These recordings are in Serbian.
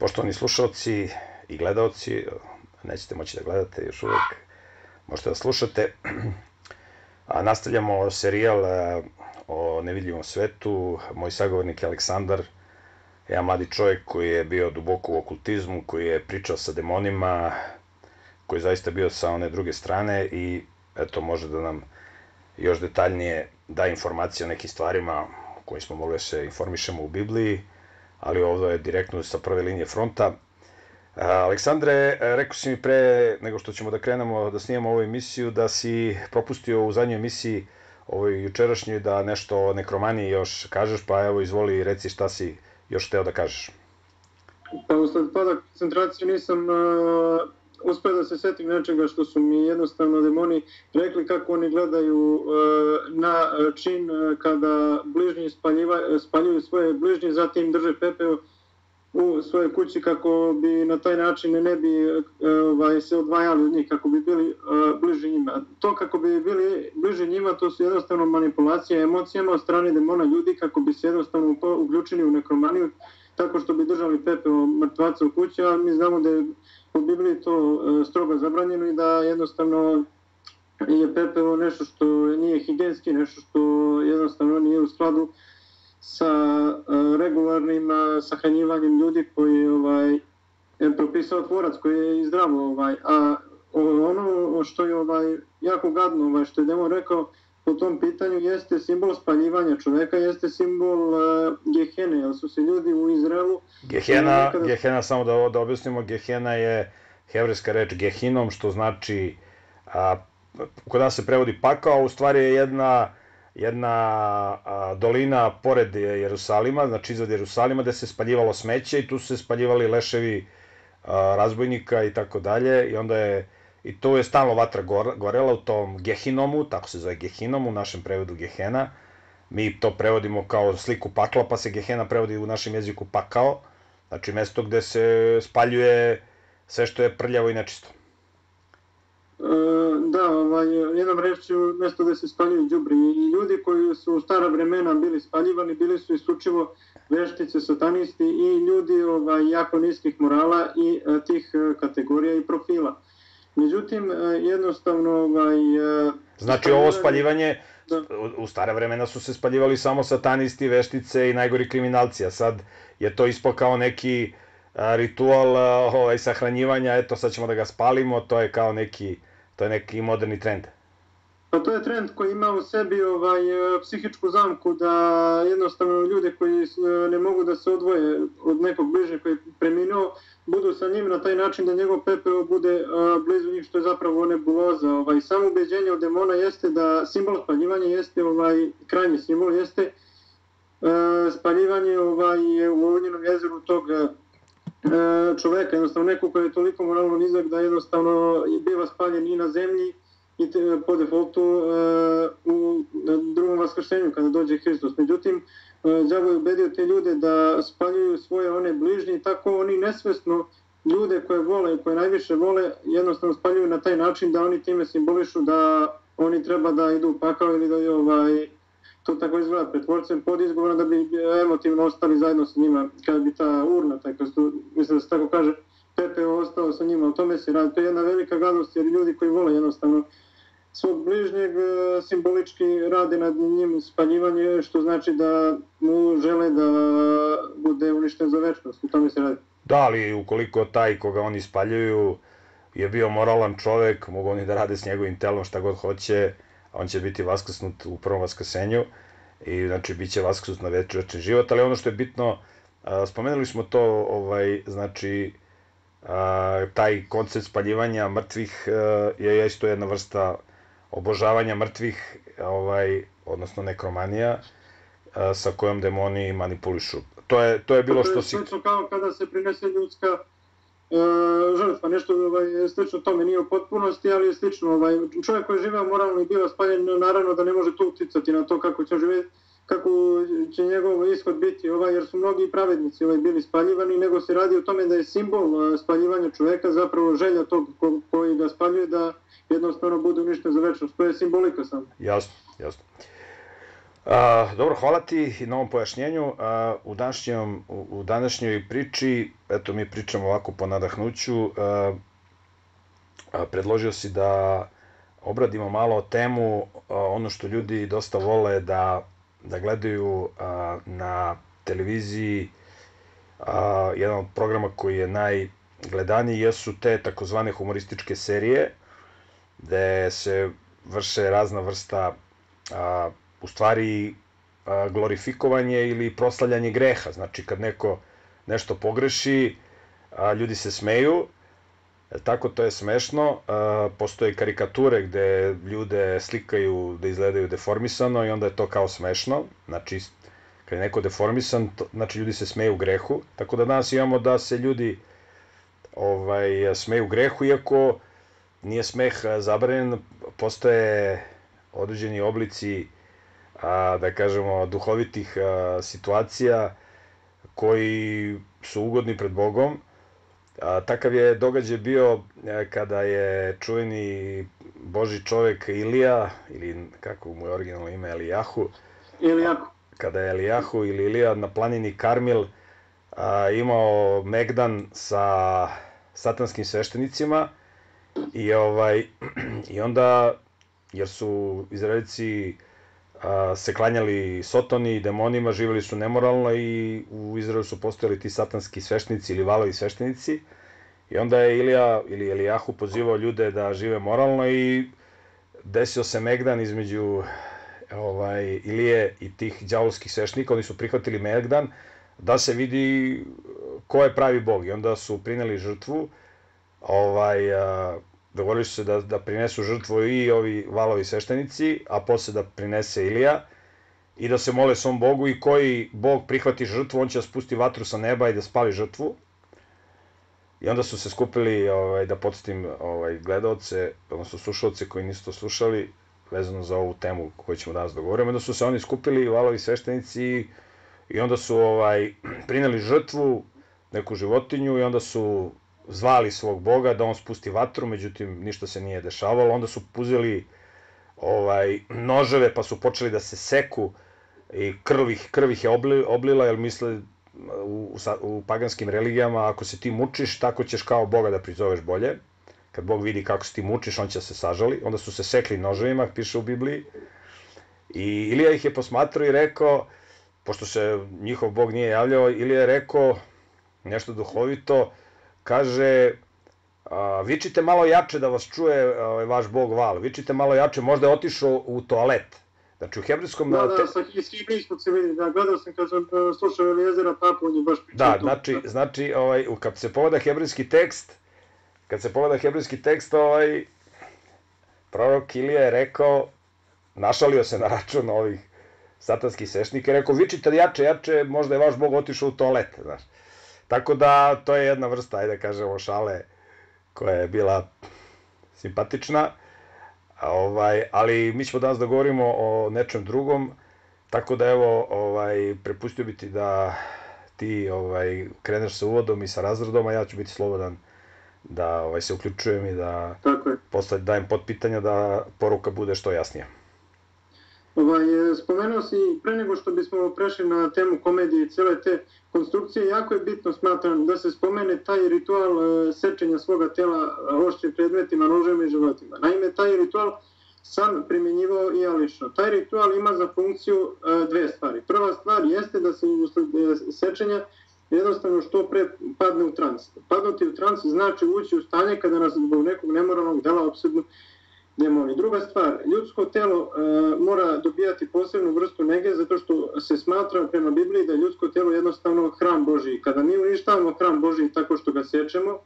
Poštovani slušalci i gledaoci, nećete moći da gledate još uvek, možete da slušate. Nastavljamo serijal o nevidljivom svetu. Moj sagovornik je Aleksandar, jedan mladi čovjek koji je bio duboko u okultizmu, koji je pričao sa demonima, koji je zaista bio sa one druge strane i eto može da nam još detaljnije da informacije o nekim stvarima koji smo mogli da se informišemo u Bibliji, ali ovdje je direktno sa prve linije fronta. Aleksandre, rekao si mi pre nego što ćemo da krenemo da snimamo ovu emisiju da si propustio u zadnjoj emisiji ovoj jučerašnjoj da nešto o nekromaniji još kažeš, pa evo izvoli i reci šta si još hteo da kažeš. Pa usled pada koncentracije nisam uspeo da se setim nečega što su mi jednostavno demoni rekli kako oni gledaju na čin kada bližnji spaljuju svoje bližnje, zatim drže pepeo u svojoj kući kako bi na taj način ne bi se odvajali od njih, kako bi bili bliži njima. To kako bi bili bliži njima, to su jednostavno manipulacije emocijama od strane demona ljudi kako bi se jednostavno uključili u nekromaniju tako što bi držali pepeo mrtvaca u kući, a mi znamo da je u Bibliji to strogo zabranjeno i da jednostavno je pepeo nešto što nije higijenski, nešto što jednostavno nije u skladu sa regularnim sahranjivanjem ljudi koji je propisao tvorac, koji je i zdravo. A ono što je jako gadno, što je demon rekao po tom pitanju, jeste simbol spaljivanja čoveka, jeste simbol Gehene, jer su se ljudi u Izraelu... Gehena, samo da objasnimo, Gehena je hebrejska reč Gehinom, što znači, kod nas se prevodi pakao, a u stvari je jedna dolina pored Jerusalima, znači iznad Jerusalima, gde se spaljivalo smeće i tu su se spaljivali leševi razbojnika i tako dalje, i onda je, i tu je stalno vatra gorela u tom Gehinomu, tako se zove Gehinom, u našem prevodu Gehena. Mi to prevodimo kao sliku pakla, pa se Gehena prevodi u našem jeziku pakao, znači mesto gde se spaljuje sve što je prljavo i nečisto. Da, jednom rečju, mesto gde se spaljuju đubri, i ljudi koji su u stara vremena bili spaljivani, bili su isključivo veštice, satanisti i ljudi jako niskih morala i tih kategorija i profila. Međutim, jednostavno... Znači ovo spaljivanje, u stare vremena su se spaljivali samo satanisti, veštice i najgori kriminalci, a sad je to ispao kao neki ritual sahranjivanja, eto sad ćemo da ga spalimo, to je kao neki moderni trend. Pa to je trend koji ima u sebi psihičku zamku da jednostavno ljude koji ne mogu da se odvoje od nekog bližnjeg koji je preminuo, budu sa njim na taj način da njegov pepeo bude blizu njih, što je zapravo nebuloza. Samo ubeđenje od demona jeste da simbol spaljivanja jeste, krajnji simbol jeste spaljivanje u Ognjenom jezeru tog čoveka, jednostavno neko koji je toliko moralno nizak da jednostavno biva spaljen i na zemlji i po defaultu u drugom vaskršenju kada dođe Hristos. Međutim, đavo je ubedio te ljude da spaljuju svoje one bližnje i tako oni nesvesno ljude koje vole i koje najviše vole jednostavno spaljuju na taj način da oni time simbolišu da oni treba da idu u pakao ili da to tako izgleda pred tvorcem pod izgovorom da bi emotivno ostali zajedno sa njima, kada bi ta urna, mislim da se tako kaže, pepeo ostao sa njima. O tome se radi. To je jedna velika gadost jer ljudi koji vole jednostavno svog bližnjeg simbolički rade nad njim spaljivanje, što znači da mu žele da bude uništen za večnost. O tome se radi. Da, ali ukoliko taj koga oni spaljuju je bio moralan čovek, mogu oni da rade s njegovim telom šta god hoće, on će biti vaskrsnut u prvom vaskrsenju i znači bit će vaskrsnut na večni život, ali ono što je bitno, spomenuli smo to, znači taj koncept spaljivanja mrtvih je isto jedna vrsta obožavanja mrtvih, odnosno nekromanija sa kojom demoni manipulišu. To je bilo što si... To je slično kao kada se prinese ljudska žrtva, nešto slično tome, nije u potpunosti, ali je slično. Čovjek koji je živeo moralno i bio spaljen, naravno da ne može to uticati na to kako će živjeti, kako će njegov ishod biti, jer su mnogi pravednici bili spaljivani, nego se radi o tome da je simbol spaljivanja čoveka zapravo želja tog koji ga spaljuje da jednostavno bude uništen za večnost. To je simbolika samo. Jasno, jasno. Dobro, hvala ti na ovom pojašnjenju. U današnjoj priči, eto mi pričamo ovako po nadahnuću, predložio si da obradimo malo temu, ono što ljudi dosta vole da gledaju na televiziji. Jedan od programa koji je najgledaniji jesu te takozvane humorističke serije, gde se vrše razna vrsta u stvari glorifikovanje ili proslavljanje greha. Znači kad neko nešto pogreši, ljudi se smeju, tako to je smešno. Postoje karikature gde ljude slikaju da izgledaju deformisano i onda je to kao smešno. Znači kad je neko deformisan, znači ljudi se smeju grehu. Tako da danas imamo da se ljudi smeju grehu, iako nije smeh zabranjen, postoje određeni oblici, da kažemo, duhovitih situacija koji su ugodni pred Bogom. Takav je događaj bio kada je čuveni Božji čovek Ilija, ili kako mu je originalno ime, Elijahu, kada je Elijahu ili Ilija na planini Karmil imao megdan sa satanskim sveštenicima i onda, jer su Izraelci se klanjali Sotoni i demonima, živjeli su nemoralno i u Izraelu su postojali ti satanski sveštenici ili valovi sveštenici, i onda je Ilija ili Elijahu pozivao ljude da žive moralno i desio se megdan između Ilije i tih đavolskih sveštenika. Oni su prihvatili megdan da se vidi ko je pravi Bog, i onda su prineli žrtvu, dogovorili su se da prinesu žrtvu i ovi valovi sveštenici, a posle da prinese Ilija, i da se mole svom Bogu, i koji Bog prihvati žrtvu, on će da spusti vatru sa neba i da spali žrtvu. I onda su se skupili, da podsjetim gledaoce, odnosno slušalce koji nisu to slušali, vezano za ovu temu koju ćemo danas dogovoriti, onda su se oni skupili, valovi sveštenici, i onda su prineli žrtvu, neku životinju, i onda su zvali svog Boga da on spusti vatru, međutim ništa se nije dešavalo. Onda su uzeli noževe pa su počeli da se seku i krv ih je oblila, jer misle u paganskim religijama, ako se ti mučiš, tako ćeš kao Boga da prizoveš bolje. Kad Bog vidi kako se ti mučiš, on će se sažali. Onda su se sekli noževima, piše u Bibliji. I Ilija ih je posmatrao i rekao, pošto se njihov Bog nije javljao, Ilija je rekao nešto duhovito, kaže, vičite malo jače da vas čuje vaš Bog Val, vičite malo jače, možda je otišao u toalet. Znači u hebrejskom... Da, iz Hibrijskog se vidi, gledao sam kad sam slušao Elijezera Papu, on je baš pričao. Da, znači, kad se pogleda hebrejski tekst, prorok Ilija je rekao, našalio se na račun ovih satanskih sveštenika, i rekao, vičite jače, možda je vaš Bog otišao u toalet, znaš. Tako da, to je jedna vrsta, ajde da kažemo, šale koja je bila simpatična, ali mi ćemo danas da govorimo o nečem drugom, tako da evo, prepustio bi ti da ti kreneš sa uvodom i sa razredom, a ja ću biti slobodan da se uključujem i da posle dajem potpitanja da poruka bude što jasnija. Spomenuo si, pre nego što bismo prešli na temu komedije i cele te konstrukcije, jako je bitno, smatram, da se spomene taj ritual sečenja svoga tela oštrim predmetima, noževima i životima. Naime, taj ritual sam primjenjivao i ja lično. Taj ritual ima za funkciju dve stvari. Prva stvar jeste da se usled sečenja jednostavno što pre padne u trans. Padnuti u trans znači ući u stanje kada nas zbog nekog nemoralnog dela opsednu demoni. Druga stvar, ljudsko telo mora dobijati posebnu vrstu nege, zato što se smatra prema Bibliji da je ljudsko telo jednostavno hram Božiji. Kada mi uništavamo hram Božiji tako što ga sečemo,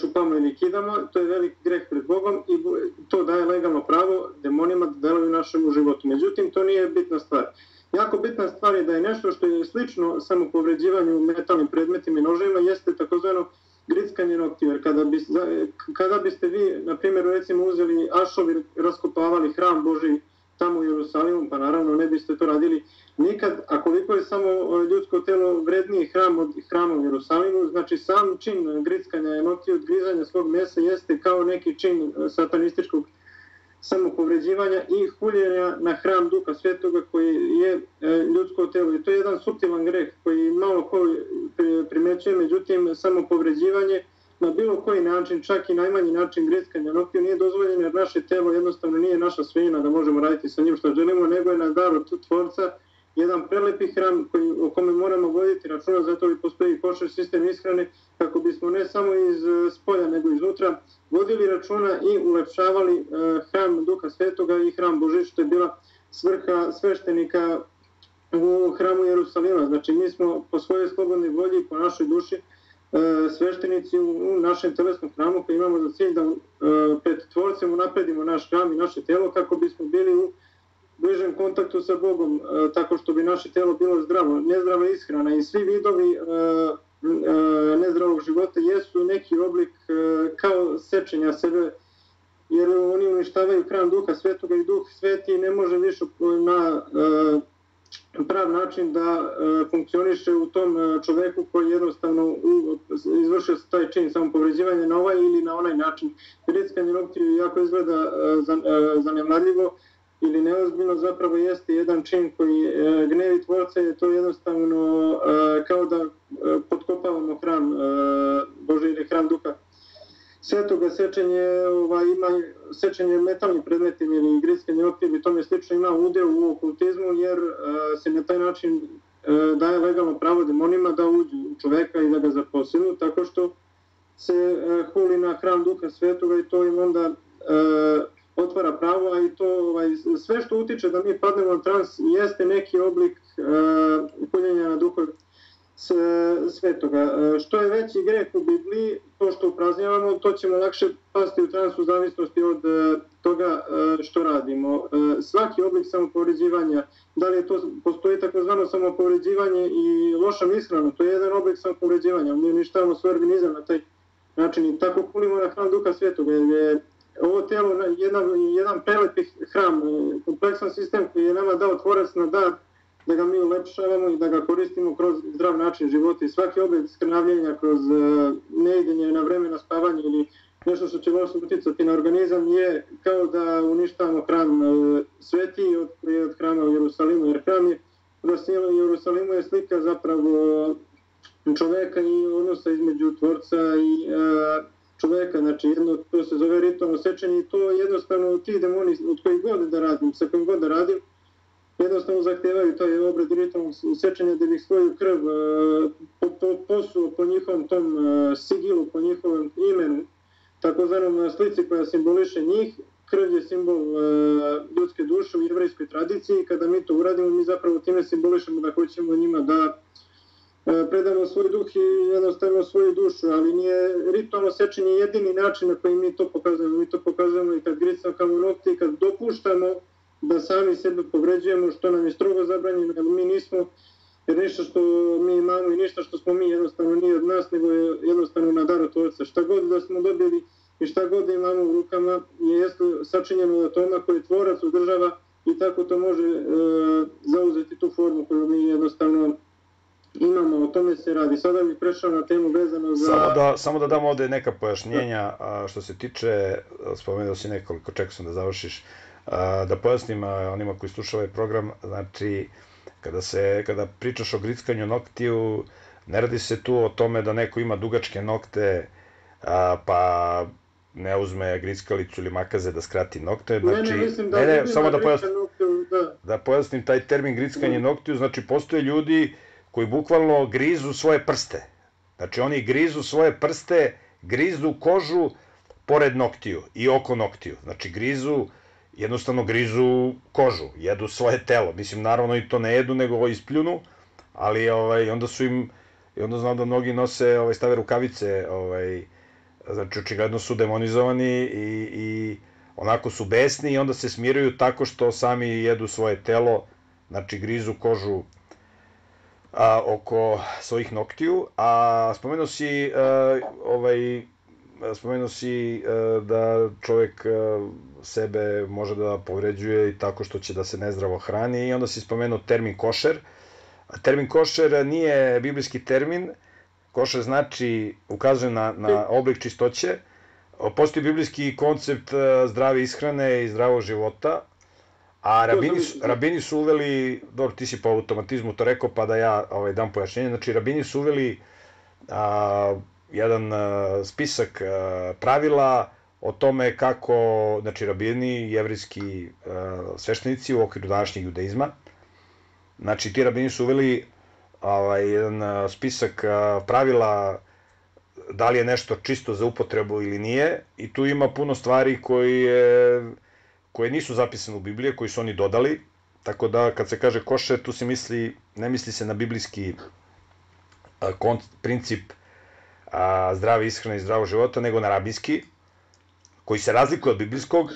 čupamo ili kidamo, to je veliki greh pred Bogom i to daje legalno pravo demonima da deluju u našem životu. Međutim, to nije bitna stvar. Jako bitna stvar je da je nešto što je slično samopovređivanju metalnim predmetima i noževima, jeste takozvano grickanje noktiju. Jer kada biste vi, na primjer, recimo uzeli ašovi, raskopavali hram Božiji tamo u Jerusalimu, pa naravno ne biste to radili nikad, a koliko je samo ljudsko telo vredniji hram od hrama u Jerusalimu, znači sam čin grickanja noktiju, odgrizanja svog mesa jeste kao neki čin satanističkog samopovređivanja i huljenja na hram Duha Svetoga koji je ljudsko telo. I to je jedan suptilan greh koji malo ko primećuje, međutim samopovređivanje na bilo koji način, čak i najmanji način grickanja noktiju nije dozvoljeno jer naše telo jednostavno nije naša svojina da možemo raditi sa njim što želimo, nego je nas dar od Tvorca, jedan prelepi hram o kome moramo voditi računa, zato i postoji košer sistem ishrane kako bismo ne samo iz spolja nego iznutra vodili računa i ulepšavali hram Duha Svetoga i hram Božji, što je bila svrha sveštenika u hramu Jerusalima. Znači mi smo po svojoj slobodnoj volji i po našoj duši sveštenici u našem telesnom hramu koji imamo za cilj da pred Tvorcem unapredimo naš hram i naše telo kako bismo bili u bližem kontaktu sa Bogom, tako što bi naše telo bilo zdravo. Nezdrava ishrana i svi vidovi nezdravog života jesu neki oblik kao sečenja sebe, jer oni uništavaju hram Duha Svetoga i Duh Sveti ne može više na prav način da funkcioniše u tom čoveku koji jednostavno izvršio taj čin samopovređivanja na ovaj ili na onaj način. Grickanje noktiju jako izgleda zanemarljivo ili neozbiljno, zapravo jeste jedan čin koji gnevi Tvorca, je to jednostavno kao da potkopavamo hram Božji ili hram Duha Svetoga. Sečenje metalnim predmetima ili grickanje noktiju i tome slično ima udeo u okultizmu jer se na taj način daje legalno pravo demonima da uđu u čoveka i da ga zaposlenu, tako što se huli na hram Duha Svetoga i to im onda otvara pravo, a i to sve što utiče da mi padnemo na trans jeste neki oblik huljenja na Duha Svetoga. Što je veći greh u Bibliji, to što upraznjavamo, to ćemo lakše pasti u trans u zavisnosti od toga što radimo. Svaki oblik samopovređivanja, da li je to, postoji takozvano samopovređivanje i loša ishrana, to je jedan oblik samopovređivanja, mi uništavamo svoj organizam na taj način i tako hulimo na hram Duha Svetoga, jer je ovo telo jedan prelepi hram, kompleksan sistem koji je nama dao Tvorac na dar da ga mi ulepšavamo i da ga koristimo kroz zdrav način života i svaki oblik skrnavljenja kroz neidenje na vreme na spavanje ili nešto što će loše uticati na organizam je kao da uništavamo hram Sveti od hrama u Jerusalimu, jer hram u Jerusalimu je slika zapravo čoveka i odnosa između Tvorca i čoveka, znači jedno, to se zove ritualno sečenje i to jednostavno ti demoni od kojih god da radim, sa kojim god da radim, jednostavno zahtevaju taj obrad ritualnog sečenja da bih svoju krv posuo po njihovom tom sigilu, po njihovom imenu, takozvanom slici koja simboliše njih. Krv je simbol ljudske duše u jevrejskoj tradiciji. Kada mi to uradimo, mi zapravo time simbolišemo da hoćemo njima da predamo svoj duh i jednostavno svoju dušu, ali nije ritualno sečenje jedini način na koji mi to pokazujemo. Mi to pokazujemo i kad gricamo nokti, kad dopuštamo da sami sebe povređujemo, što nam je strogo zabranjeno, jer mi nismo, jer ništa što mi imamo i ništa što smo mi jednostavno nije od nas, nego je jednostavno na dar od Tvorca. Šta god da smo dobili i šta god da imamo u rukama je sačinjeno od atoma koji Tvorac održava i tako to može zauzeti tu formu koju mi jednostavno imamo, o tome se radi. Sada bih prešao na temu vezano za... Samo da dam ovde neka pojašnjenja, što se tiče, spomenuo si nekoliko, čekao sam da završiš, da pojasnim onima koji slušaju ovaj program, znači kada pričaš o grickanju noktiju, ne radi se tu o tome da neko ima dugačke nokte pa ne uzme grickalicu ili makaze da skrati nokte, znači, samo da pojasnim taj termin grickanje noktiju, znači postoje ljudi koji bukvalno grizu svoje prste, znači oni grizu svoje prste, grizu kožu pored noktiju i oko noktiju, znači jednostavno grizu kožu, jedu svoje telo, mislim naravno i to ne jedu nego ispljunu, ali onda su im, i onda znam da mnogi nose, stave rukavice, znači očigledno su demonizovani i onako su besni i onda se smiruju tako što sami jedu svoje telo, znači grizu kožu oko svojih noktiju, a spomenuo si da čovjek sebe može da povređuje i tako što će da se nezdravo hrani i onda si spomenuo termin košer. Termin košer nije biblijski termin, košer znači, ukazuje na oblik čistoće, postoji biblijski koncept zdrave ishrane i zdravog života, a rabini su uveli, dobro, ti si po automatizmu to rekao, pa da ja dam pojašnjenje, znači rabini su uveli jedan spisak pravila o tome kako, znači rabini, jevrijski sveštenici u okviru današnjeg judaizma, znači ti rabini su uveli jedan spisak pravila da li je nešto čisto za upotrebu ili nije, i tu ima puno stvari koje nisu zapisane u Bibliji, koji su oni dodali, tako da kad se kaže košer, tu se misli, ne misli se na biblijski princip zdrave ishrane i zdravog života, nego na rabinski, koji se razlikuje od biblijskog,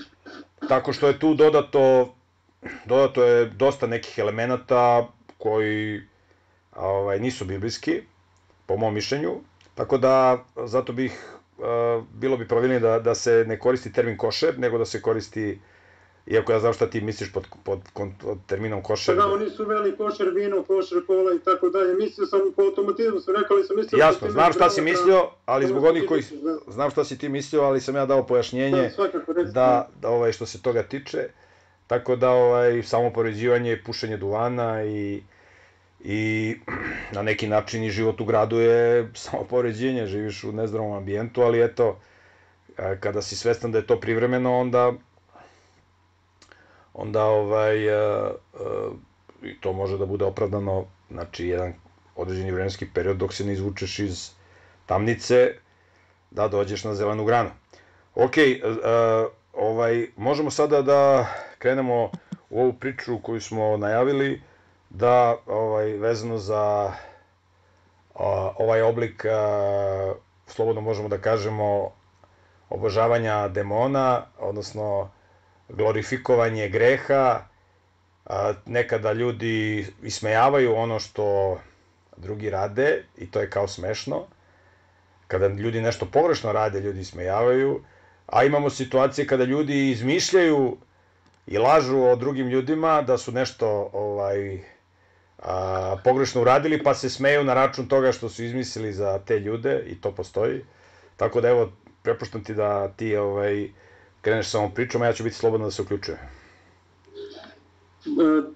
tako što je tu dodato je dosta nekih elemenata koji nisu biblijski, po mom mišljenju, tako da zato bilo bi pravilnije da se ne koristi termin košer, nego da se koristi, iako ja znam šta ti misliš pod terminom košer. Da, oni su uveli košer vino, košer kola i tako dalje. Mislio sam po automatizmu, sam rekao, ali sam mislio... Jasno, znam šta si mislio, ali zbog onih koji... Znam šta si ti mislio, ali sam ja dao pojašnjenje da što se toga tiče. Tako da samo poređivanje, pušenje duvana i na neki način i život u gradu je samo poređenje, živiš u nezdravom ambijentu, ali eto, kada si svestan da je to privremeno, onda to može da bude opravdano, znači jedan određeni vremenski period dok se ne izvučeš iz tamnice, da dođeš na zelenu granu. Ok, možemo sada da krenemo u ovu priču koju smo najavili, da vezano za ovaj oblik, slobodno možemo da kažemo, obožavanja demona, odnosno glorifikovanje greha. Nekada ljudi ismejavaju ono što drugi rade i to je kao smešno. Kada ljudi nešto pogrešno rade, ljudi ismejavaju, a imamo situacije kada ljudi izmišljaju i lažu o drugim ljudima da su nešto pogrešno uradili, pa se smeju na račun toga što su izmislili za te ljude, i to postoji. Tako da evo, prepuštam ti da ti kreneš sa ovom pričom, a ja ću biti slobodno da se uključujem.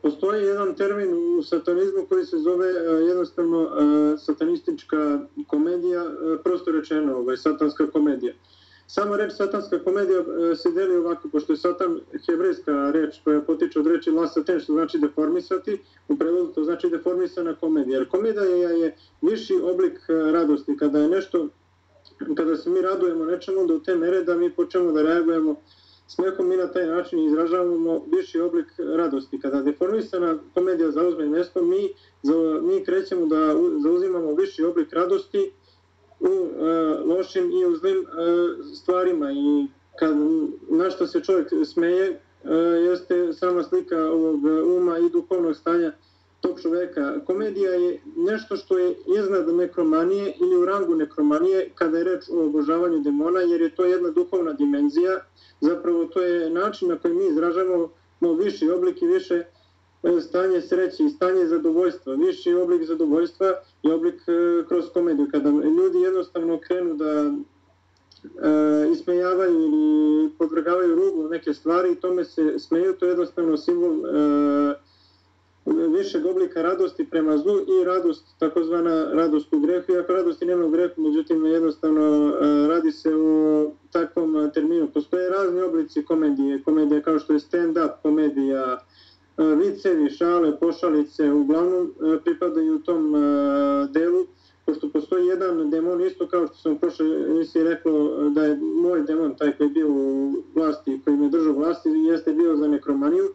Postoji jedan termin u satanizmu koji se zove jednostavno satanistička komedija, prosto rečeno, satanska komedija. Sama reč satanska komedija se deli ovako, pošto je satan hebrejska reč koja potiče od reči lasaten, što znači deformisati, u prevodu to znači deformisana komedija. Jer komedija je viši oblik radosti, kada se mi radujemo nečemu do te mere da mi počnemo da reagujemo smehom, mi na taj način izražavamo viši oblik radosti. Kada deformisana komedija zauzme mesto, mi krećemo da zauzimamo viši oblik radosti u lošim i u zlim stvarima, i na što se čovjek smeje jeste sama slika ovog uma i duhovnog stanja tog čoveka. Komedija je nešto što je iznad nekromanije ili u rangu nekromanije kada je reč o obožavanju demona, jer je to jedna duhovna dimenzija. Zapravo to je način na koji mi izražavamo viši oblik i više stanje sreće i stanje zadovoljstva. Viši oblik zadovoljstva je oblik kroz komediju. Kada ljudi jednostavno krenu da ismejavaju ili podvrgavaju ruglu neke stvari i tome se smeju, to je jednostavno simbol višeg oblika radosti prema zlu i radost, takozvana radost u grehu, iako radosti nema u grehu, međutim jednostavno radi se o takvom terminu. Postoje razni oblici komedije kao što je stand-up komedija, vicevi, šale, pošalice, uglavnom pripadaju u tom delu, pošto postoji jedan demon, isto kao što sam prošle emisiji rekao da je moj demon, taj koji je bio u vlasti, koji me držao vlasti, jeste bio za nekromaniju.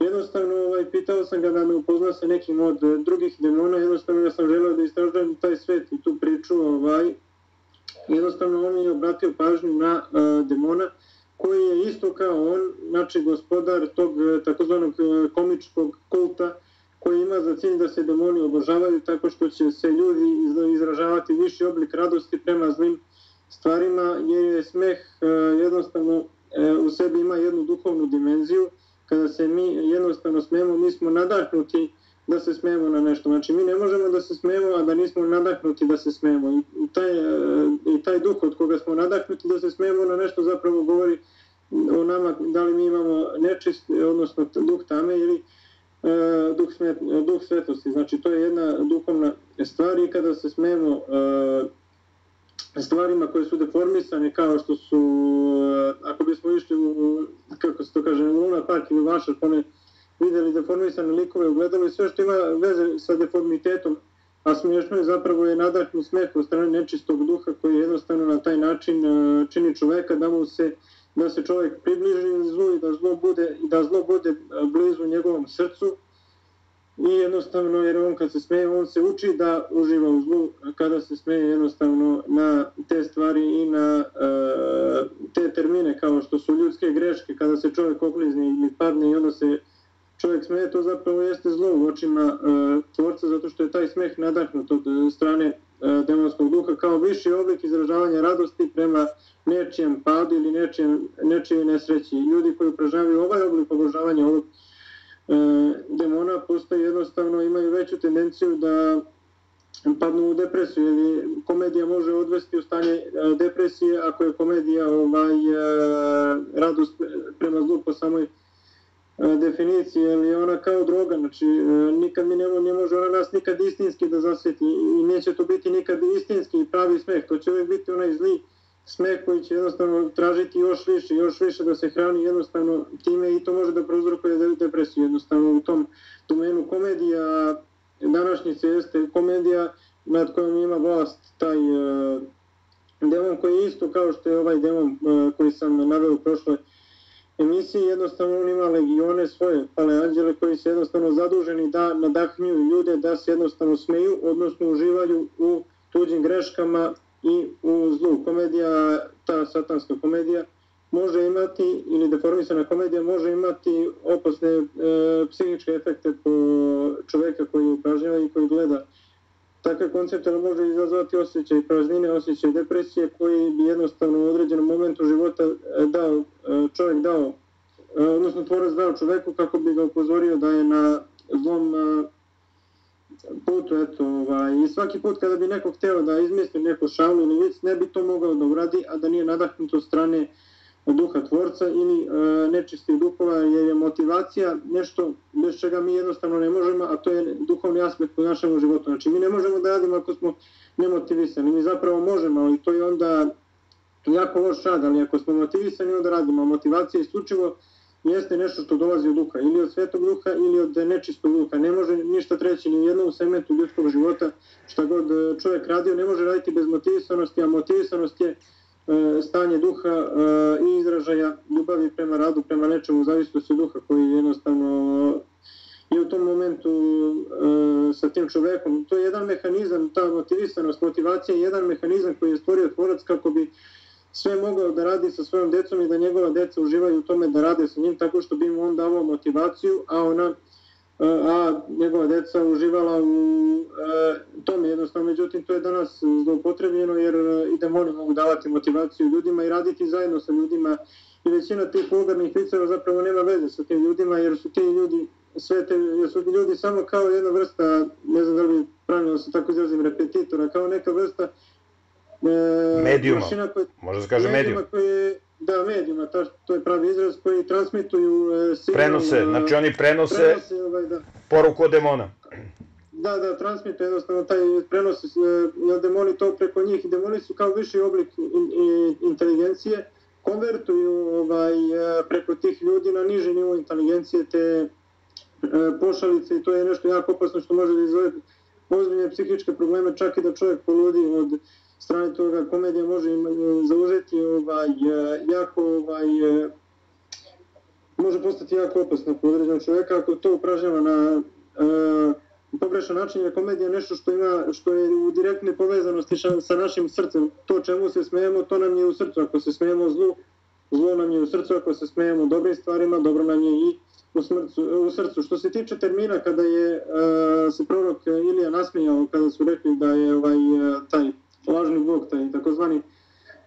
Jednostavno, pitao sam ga da me upozna sa nekim od drugih demona, jednostavno ja sam želeo da istražujem taj svet i tu priču, jednostavno on mi je obratio pažnju na demona, koji je isto kao on, znači gospodar tog takozvanog komičkog kulta, koji ima za cilj da se demoni obožavaju tako što će se ljudi izražavati viši oblik radosti prema zlim stvarima, jer je smeh jednostavno u sebi ima jednu duhovnu dimenziju. Kada se mi jednostavno smemo, mi smo nadahnuti da se smejemo na nešto. Znači mi ne možemo da se smejemo, a da nismo nadahnuti da se smejemo. I taj duh od koga smo nadahnuti da se smejemo na nešto zapravo govori o nama, da li mi imamo nečist, odnosno duh tame ili duh svetosti. Znači to je jedna duhovna stvar i kada se smejemo stvarima koje su deformisane, kao što su, ako bismo išli u, kako se to kaže, u Luna Park ili Vašar, one videli deformisane likove, ugledali sve što ima veze sa deformitetom, a smiješno je zapravo je nadahnut smeh od strane nečistog duha koji jednostavno na taj način čini čoveka da se čovjek približi zlu i da zlo bude blizu njegovom srcu. I jednostavno, jer on kad se smeje, on se uči da uživa u zlu, kada se smeje jednostavno na te stvari i na te termine kao što su ljudske greške, kada se čovjek oklizni ili padne i onda se čovjek smeje, to zapravo jeste zlo u očima tvorca, zato što je taj smeh nadahnut od strane demonskog duha kao viši oblik izražavanja radosti prema nečijem padu ili nečijoj nesreći. Ljudi koji upražnjavaju ovaj oblik obožavanja ovog demona postoje jednostavno, imaju veću tendenciju da padnu u depresiju, jer komedija može odvesti u stanje depresije ako je komedija radost prema zlu po samoj definiciji, jer je ona kao droga, znači nikad ne može ona nas nikad istinski da zasjeti i neće to biti nikad istinski i pravi smeh, to će uvijek biti onaj zli smeh koji će jednostavno tražiti još više da se hrani jednostavno time i to može da prouzrokuje depresiju. Jednostavno u tom domenu komedija današnjice jeste komedija nad kojom ima vlast taj demon koji je isto kao što je ovaj demon koji sam naveo u prošloj emisiji, jednostavno on ima legione svoje pale anđele koji su jednostavno zaduženi da nadahnjuju ljude da se jednostavno smeju, odnosno uživaju u tuđim greškama i u zlu. Komedija, ta satanska komedija može imati, ili deformisana komedija može imati opasne psihičke efekte po čoveka koji upražnjava i koji gleda takve koncepte, ali može izazvati osjećaj praznine, osjećaj depresije koji bi jednostavno u određenom momentu života čovjek dao, odnosno tvorac dao čoveku kako bi ga upozorio da je na zlom putu, i svaki put kada bi neko hteo da izmisli neko šalu ili vic, ne bi to mogao da uradi, a da nije nadahnut od strane duha tvorca ili nečistih duhova, jer je motivacija nešto bez čega mi jednostavno ne možemo, a to je duhovni aspekt u našem životu. Znači mi ne možemo da radimo ako smo nemotivisani, mi zapravo možemo, ali to je onda jako loš rad, ali ako smo motivisani onda radimo. Motivacija isključivo jeste nešto što dolazi od duha, ili od svetog duha ili od nečistog duha. Ne može ništa treći ni u jednom segmentu ljudskog života, šta god čovjek radio, ne može raditi bez motivisanosti, a motivisanost je stanje duha i izražaja ljubavi prema radu, prema nečemu, zavisnosti od duha koji jednostavno je u tom momentu sa tim čovekom. To je jedan mehanizam, ta motivisanost, motivacija je jedan mehanizam koji je stvorio tvorac kako bi sve mogao da radi sa svojom decom i da njegova deca uživaju u tome da rade sa njim tako što bi mu on davao motivaciju, a njegova deca uživala u tome jednostavno. Međutim, to je danas zloupotrebljeno jer i demoni mogu davati motivaciju ljudima i raditi zajedno sa ljudima i većina tih vulgarnih viceva zapravo nema veze sa tim ljudima jer su ti ljudi jer su ljudi samo kao jedna vrsta, ne znam da li pravilno se tako izrazim, repetitora, kao neka vrsta medijuma, može se kaže medijum. Da, medijuma, to je pravi izraz, koji transmituju signal. Prenose, znači oni prenose poruku od demona. Da, transmituje jednostavno taj prenos, jer demoni to preko njih, i demoni su kao viši oblik inteligencije, konvertuju preko tih ljudi na niži nivo inteligencije te pošalice i to je nešto jako opasno što može da izvede ozbiljne psihičke probleme, čak i da čovjek poludi od strane toga. Komedija može zauzeti može postati jako opasno po određenom čovjeka ako to upražnjava na pogrešan način, jer komedija je nešto što je u direktnoj povezanosti sa našim srcem. To čemu se smejemo, to nam je u srcu. Ako se smejemo zlu, zlo nam je u srcu. Ako se smejemo dobrim stvarima, dobro nam je i u srcu. Što se tiče termina kada je se prorok Ilija nasmijao, kada su rekli da je taj lažni bog, taj takozvani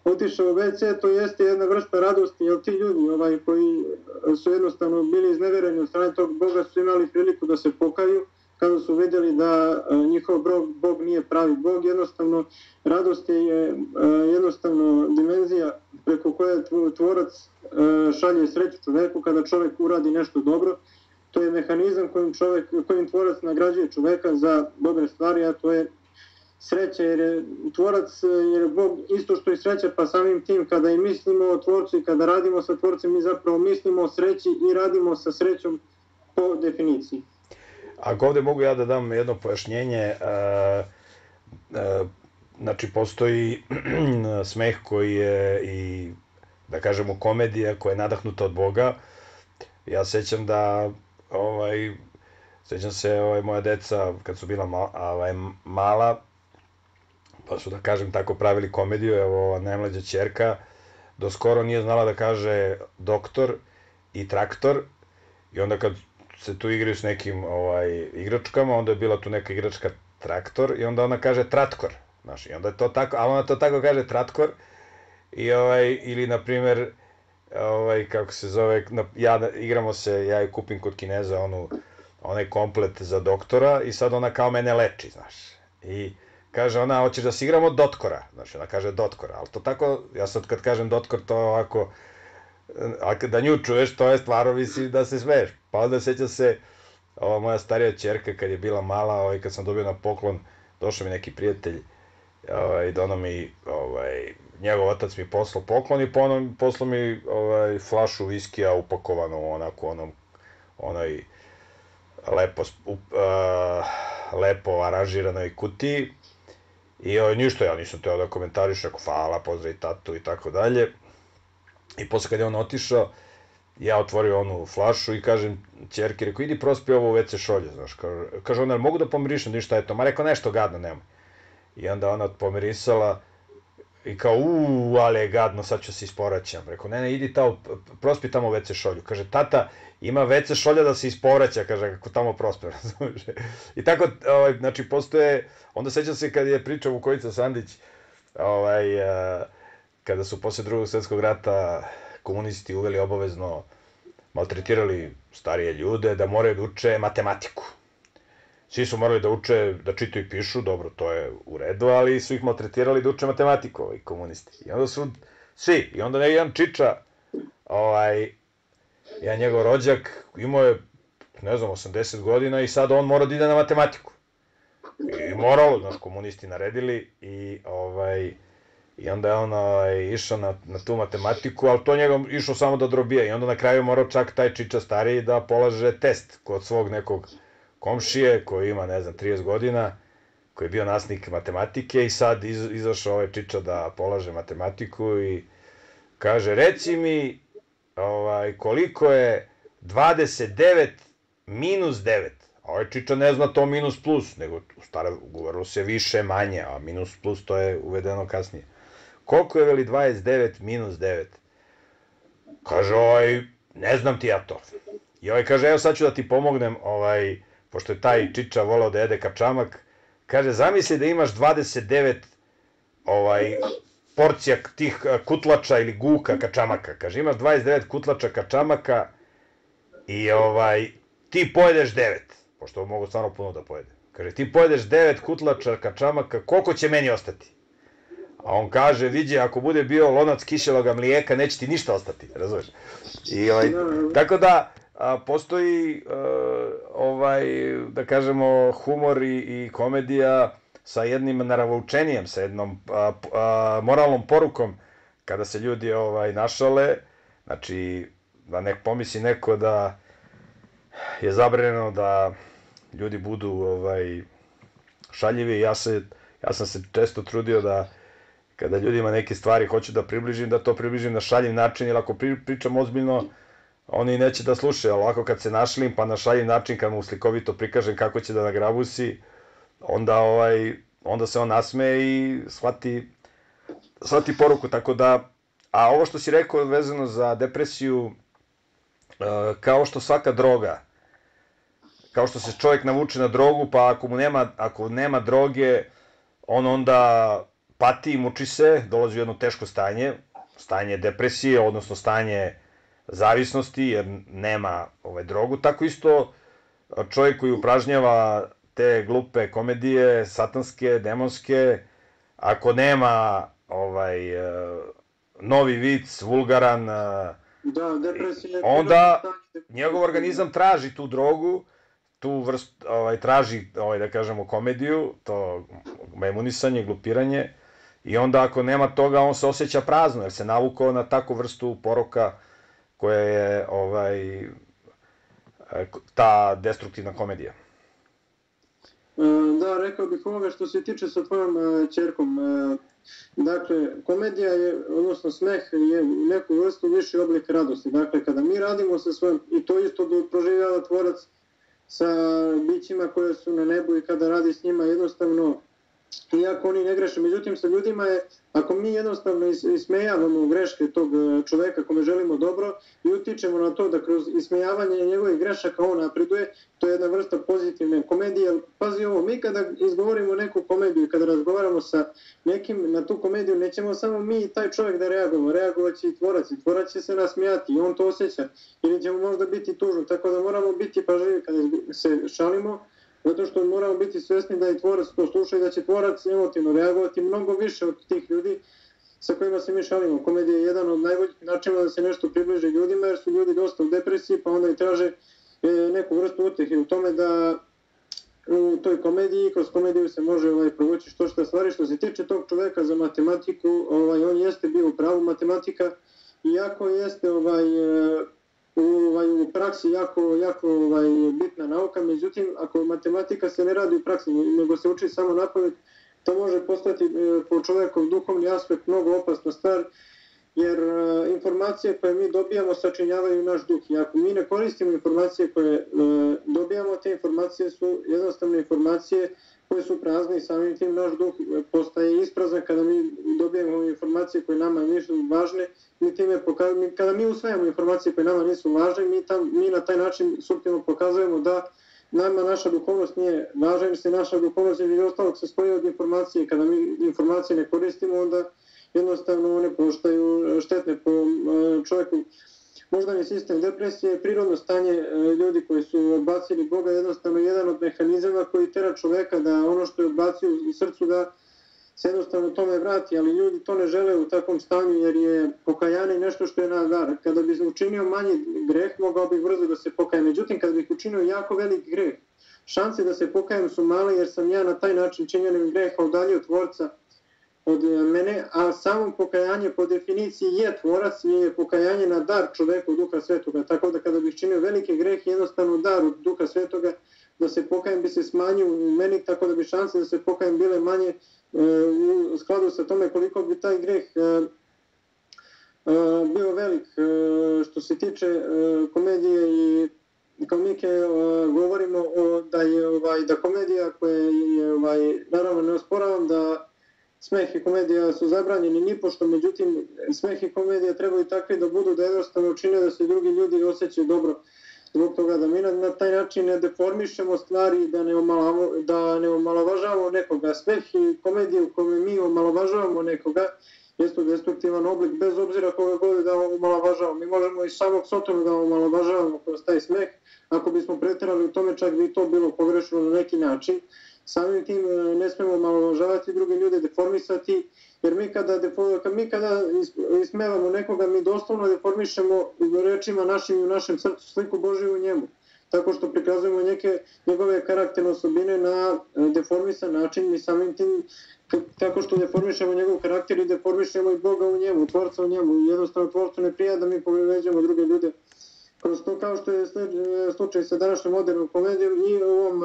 otišao u WC, to jeste jedna vrsta radosti, jer ti ljudi koji su jednostavno bili iznevereni od strane tog boga su imali priliku da se pokaju kada su vidjeli da njihov Bog nije pravi Bog. Jednostavno, radost je jednostavno dimenzija preko koje tvorac šalje sreću čoveku kada čovek uradi nešto dobro. To je mehanizam kojim tvorac nagrađuje čoveka za dobre stvari, a to je sreća, jer je tvorac, jer je Bog isto što i sreća, pa samim tim kada i mislimo o tvorcu i kada radimo sa tvorcem, mi zapravo mislimo o sreći i radimo sa srećom po definiciji. Ako ovde mogu ja da dam jedno pojašnjenje, znači postoji smeh koji je i, da kažemo, komedija koja je nadahnuta od Boga. Ja sećam da, sećam se moja deca kad su bila mala, pa su, da kažem tako, pravili komediju. Evo, najmlađa ćerka do skoro nije znala da kaže doktor i traktor, i onda kad se tu igraju s nekim igračkama, onda je bila tu neka igračka traktor i onda ona kaže tratkor, znaš, i onda je to tako, a ona to tako kaže tratkor, i ili na primer, kako se zove, igramo se, ja i kupim kod Kineza onaj komplet za doktora i sad ona kao mene leči, znaš, i kaže ona, hoćeš da se igramo dotkora, znači ona kaže dotkora, ali to tako, ja sad kad kažem dotkor, to ovako, a da nju čuješ, to je stvarno, mislim, da se smeješ. Pa onda seća se, ova moja starija ćerka kad je bila mala, kad sam dobio na poklon, došao mi neki prijatelj i dono mi, njegov otac mi poslao poklon i poslao mi flašu viskija upakovanu onako onoj lepo aranžiranoj kutiji, i ništa, ja nisam teo da komentariš, rekao hvala, pozdrav tatu i tako dalje. I posle kad je on otišao, ja otvorio onu flašu i kažem ćerki, rekao, idi prospi ovo u WC šolje, znaš, kaže ona, mogu da pomirišem, ništa je to, ma rekao, nešto gadno, nemoj. I onda ona pomirisala i kao, ali je gadno, sad ću se isporaćam. Rekao, ne, idi prospi tamo u WC šolju. Kaže, tata, ima WC šolja da se isporaća, kaže, kako tamo prospe, razumiješ. I tako, znači, postoje, onda sećam se kad je pričao Vukojica Sandić, kada su posle Drugog svetskog rata komunisti uveli obavezno, maltretirali starije ljude da moraju da uče matematiku. Svi su morali da uče, da čitaju i pišu, dobro, to je u redu, ali su ih maltretirali da uče matematiku, komunisti. I onda su svi, i onda jedan čiča, jedan njegov rođak, imao je, ne znam, 80 godina i sad on mora da ide na matematiku. I moralo, znaš, komunisti naredili i onda je on išao na tu matematiku, ali to njegov išao samo da drobija, i onda na kraju morao čak taj čiča stariji da polaže test kod svog nekog komšije koji ima, ne znam, 30 godina, koji je bio nastavnik matematike, i sad izašao ovaj čiča da polaže matematiku i kaže, reci mi koliko je 29 minus 9. A ovaj čiča ne zna to minus plus, nego u starom govorilo se više manje, a minus plus to je uvedeno kasnije. Koliko je, veli, 29 minus 9? Kaže, ne znam ti ja to. I kaže, evo sad ću da ti pomognem, pošto je taj čiča volao da jede kačamak, kaže, zamisli da imaš 29 porcija tih kutlača ili guka kačamaka. Kaže, imaš 29 kutlača kačamaka i ti pojedeš 9, pošto mogu stvarno puno da pojede. Kaže, ti pojedeš 9 kutlača kačamaka, koliko će meni ostati? A on kaže, vidi, ako bude bio lonac kiseloga mlijeka, neće ti ništa ostati, razumeš? Tako da, postoji, da kažemo, humor i komedija sa jednim naravučenijem, sa jednom moralnom porukom, kada se ljudi našale, znači, da nek pomisli neko da je zabranjeno da ljudi budu šaljivi. Ja sam se često trudio da kada ljudima neke stvari hoću da približim, da to približim na šaljiv način, jer ako pričam ozbiljno, oni neće da slušaju, ali ovako kad se našlim, pa na šaljiv način, kad mu slikovito prikažem kako će da nagrabusi, onda se on nasmeje i shvati poruku, tako da, a ovo što si rekao vezano za depresiju, kao što svaka droga, kao što se čovjek navuče na drogu, pa ako nema droge, on onda pati, muči se, dolazi u jedno teško stanje depresije, odnosno stanje zavisnosti, jer nema drogu. Tako isto čovjek koji upražnjava te glupe komedije, satanske, demonske, ako nema novi vic, vulgaran, onda njegov organizam traži tu drogu, tu vrstu, traži, da kažemo, komediju, to memunisanje, glupiranje, i onda ako nema toga, on se osjeća prazno, jer se navukao na takvu vrstu poroka koja je ta destruktivna komedija. Da, rekao bih ovoga što se tiče sa tvojom ćerkom. Dakle, komedija je, odnosno smeh je neku vrstu viši oblik radosti. Dakle, kada mi radimo sa svojom, i to isto proživljava tvorac sa bićima koje su na nebu i kada radi s njima, jednostavno, iako oni ne greše. Međutim, sa ljudima je, ako mi jednostavno ismejavamo greške tog čoveka kome želimo dobro i utičemo na to da kroz ismejavanje njegovih grešaka on napreduje, to je jedna vrsta pozitivne komedije. Pazi ovo, mi kada izgovorimo neku komediju i kada razgovaramo sa nekim na tu komediju, nećemo samo mi i taj čovek da reagujemo, reagovat će i tvorac će se nasmijati i on to osjeća, ili ćemo možda biti tužni, tako da moramo biti pažljivi kada se šalimo, zato što moramo biti svesni da je tvorac to sluša i da će tvorac emotivno reagovati mnogo više od tih ljudi sa kojima se mi šalimo. Komedija je jedan od najboljih načina da se nešto približi ljudima, jer su ljudi dosta u depresiji, pa onda i traže neku vrstu utehe u tome da u toj komediji, kroz komediju se može provući što stvari. Što se tiče tog čoveka za matematiku, on jeste bio u pravu, matematika, iako jeste u praksi jako bitna nauka, međutim, ako matematika se ne radi u praksi, nego se uči samo napamet, to može postati po čovekov duhovni aspekt mnogo opasna stvar, jer informacije koje mi dobijamo sačinjavaju naš duh. I ako mi ne koristimo informacije koje dobijamo, te informacije su jednostavne informacije koje su prazne i samim tim naš duh postaje isprazan kada mi dobijemo informacije koje nama nisu važne. Kada mi usvajamo informacije koje nama nisu važne, mi na taj način suptilno pokazujemo da nama naša duhovnost nije važna, jer se naša duhovnost ili ostalog se stoji od informacije. Kada mi informacije ne koristimo, onda jednostavno one postaju štetne po čovjeku. Moždani sistem depresije je prirodno stanje ljudi koji su odbacili Boga, jednostavno jedan od mehanizama koji tera čoveka da ono što je odbacio u srcu da se jednostavno tome vrati, ali ljudi to ne žele u takvom stanju jer je pokajanje nešto što je nadar. Kada bih učinio manji greh, mogao bih brzo da se pokajem. Međutim, kada bih učinio jako velik greh, šanse da se pokajem su male jer sam ja na taj način činjenim greha udaljio tvorca od mene, a samo pokajanje po definiciji je tvorac i je pokajanje na dar čoveku Duha Svetoga. Tako da kada bih činio velike grehe, jednostavno dar od Duha Svetoga, da se pokajem bi se smanjio u meni, tako da bi šanse da se pokajem bile manje u skladu sa tome koliko bi taj greh bio velik. Što se tiče komedije i komike, govorimo da komedija koja je, naravno ne osporavam da smeh i komedija su zabranjeni nipošto, međutim smeh i komedija trebaju takvi da budu da jednostavno čine da se drugi ljudi osjećaju dobro. Zbog toga da mi na taj način ne deformišemo stvari, da ne omalovažavamo nekoga. Smeh i komedija u kome mi omalovažavamo nekoga jeste destruktivan oblik, bez obzira koga god da omalovažavamo. Mi možemo i samog Sotona da omalovažavamo kroz taj smeh. Ako bismo preterali u tome, čak bi to bilo pogrešno na neki način. Samim tim ne smemo omalovažavati druge ljude, deformisati, jer mi kada ismevamo nekoga, mi doslovno deformišemo rečima našim i u našem srcu sliku Božiju u njemu. Tako što prikazujemo neke njegove karakterne osobine na deformisan način, mi samim tim tako što deformišemo njegov karakter i deformišemo i Boga u njemu, Tvorca u njemu. Jednostavno Tvorcu ne prija da mi povređujemo druge ljude. Kroz to, kao što je slučaj sa današnjom modernom komedijom i ovom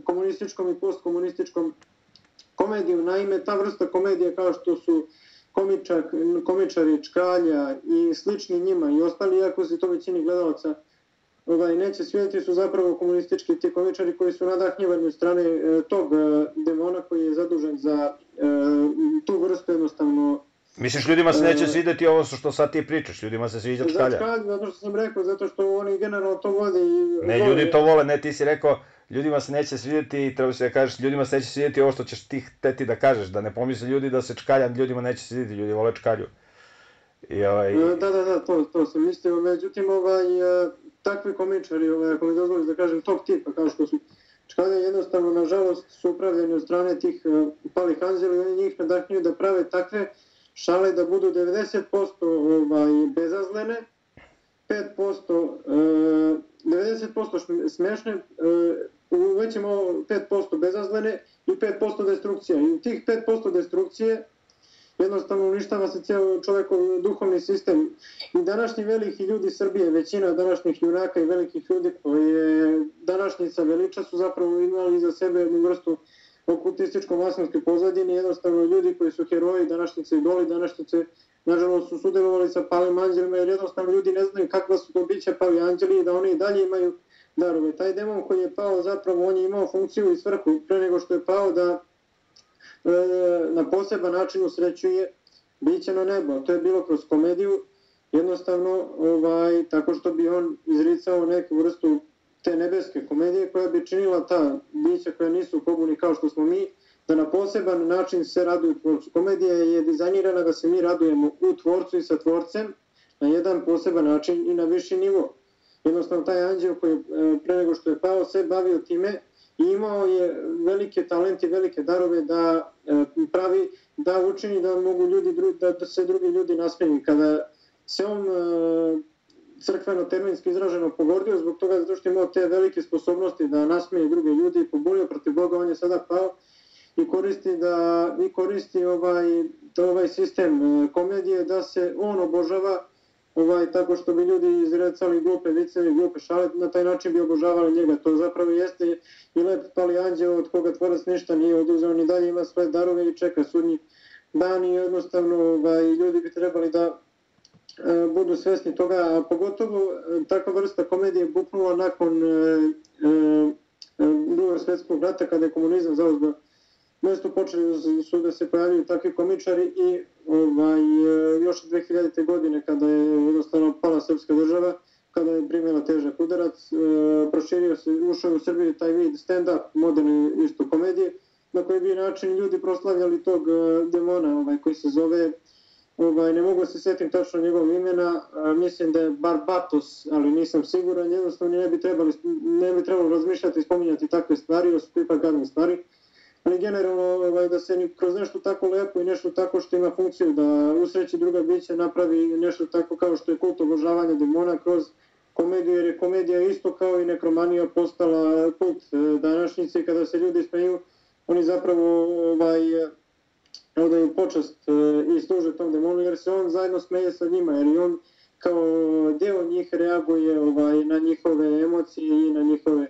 komunističkom i postkomunističkom komedijom. Naime, ta vrsta komedije kao što su komičari, Čkalja i slični njima i ostali, iako se to većini gledalaca neće svidjeti, su zapravo komunistički ti komičari koji su nadahnjivani od strane tog demona koji je zadužen za tu vrstu jednostavno. Misliš, ljudima se neće svidjeti ovo što sad ti pričaš, ljudima se sviđa Čkalja? Zato što sam rekao, zato što oni generalno to vode i... Ne, ljudi to vole, ne, ti si rekao, ljudima se neće svidjeti, treba se da kažeš, ljudima se neće svidjeti ovo što ćeš ti hteti da kažeš, da ne pomisli ljudi da se Čkalja ljudima neće svidjeti, ljudi vole Čkalju. Da, to sam mislio, međutim, takvi komičari, ako mi dozvoliš da kažem, top tipa, kao što su Čkade, jednostavno, nažalost, su upravljeni od strane tih palih anđeli, oni njih nadahnjuju da prave takve šale da budu 90% bezazlene, 90% smešne, uvećemo 5% bezazlene i 5% destrukcija. I u tih 5% destrukcije jednostavno uništava se cijel čovekov duhovni sistem. I današnji veliki ljudi Srbije, većina današnjih junaka i velikih ljudi koje današnjica veliča su zapravo imali iza sebe jednu vrstu okultističko-masonske pozadine, jednostavno ljudi koji su heroji, današnjice idoli, današnjice nažalost su sudjelovali sa palim anđelima, jer jednostavno ljudi ne znaju kakva su to bića pali anđeli i da oni i dalje imaju darove. Taj demon koji je pao, zapravo on je imao funkciju i svrhu pre nego što je pao da na poseban način usrećuje biće na nebo. To je bilo kroz komediju, jednostavno tako što bi on izricao neku vrstu te nebeske komedije koja bi činila ta bića koja nisu u pobuni kao što smo mi, da na poseban način se raduju tvorcu. Komedija je dizajnirana da se mi radujemo u tvorcu i sa tvorcem na jedan poseban način i na viši nivo. Jednostavno taj anđeo koji pre nego što je pao se bavio time i imao je velike talente, velike darove da pravi, da učini da mogu ljudi, da se drugi ljudi nasmeju. Kada se on crkveno-terminski izraženo pogordio zbog toga zato što je imao te velike sposobnosti da nasmeje druge ljudi i pobunio protiv Boga, on je sada pao i koristi ovaj sistem komedije da se on obožava tako što bi ljudi izrecali glupe viceve, glupe šale, na taj način bi obožavali njega. To zapravo jeste i lep pali anđeo od koga tvorac ništa nije oduzeo, ni dalje ima svoje darove i čeka sudnji dan i jednostavno ljudi bi trebali da budu svesni toga, a pogotovo takva vrsta komedije buknula nakon Drugog svjetskog rata kada je komunizam zauzeo mesto, počeli su da se pojavljaju takvi komičari i još 2000. godine kada je jednostavno pala srpska država, kada je primjela težak udarac, proširio se, ušao u Srbiju taj vid stand-up, moderne isto komedije, na koji bi način ljudi proslavljali tog demona koji se zove, ne mogu se setim tačno njegovog imena, mislim da je Barbatos, ali nisam siguran, jednostavno ne bi trebalo razmišljati i spominjati takve stvari, jer su to ipak gadne stvari, ali generalno da se kroz nešto tako lepo i nešto tako što ima funkciju da usreći druga bića napravi nešto tako kao što je kult obožavanja demona kroz komediju, jer je komedija isto kao i nekromanija postala kult današnjice. Kada se ljudi smeju, oni zapravo odaju počast i služe tom demonu, jer se on zajedno smeje sa njima, jer i on kao deo njih reaguje na njihove emocije i na njihove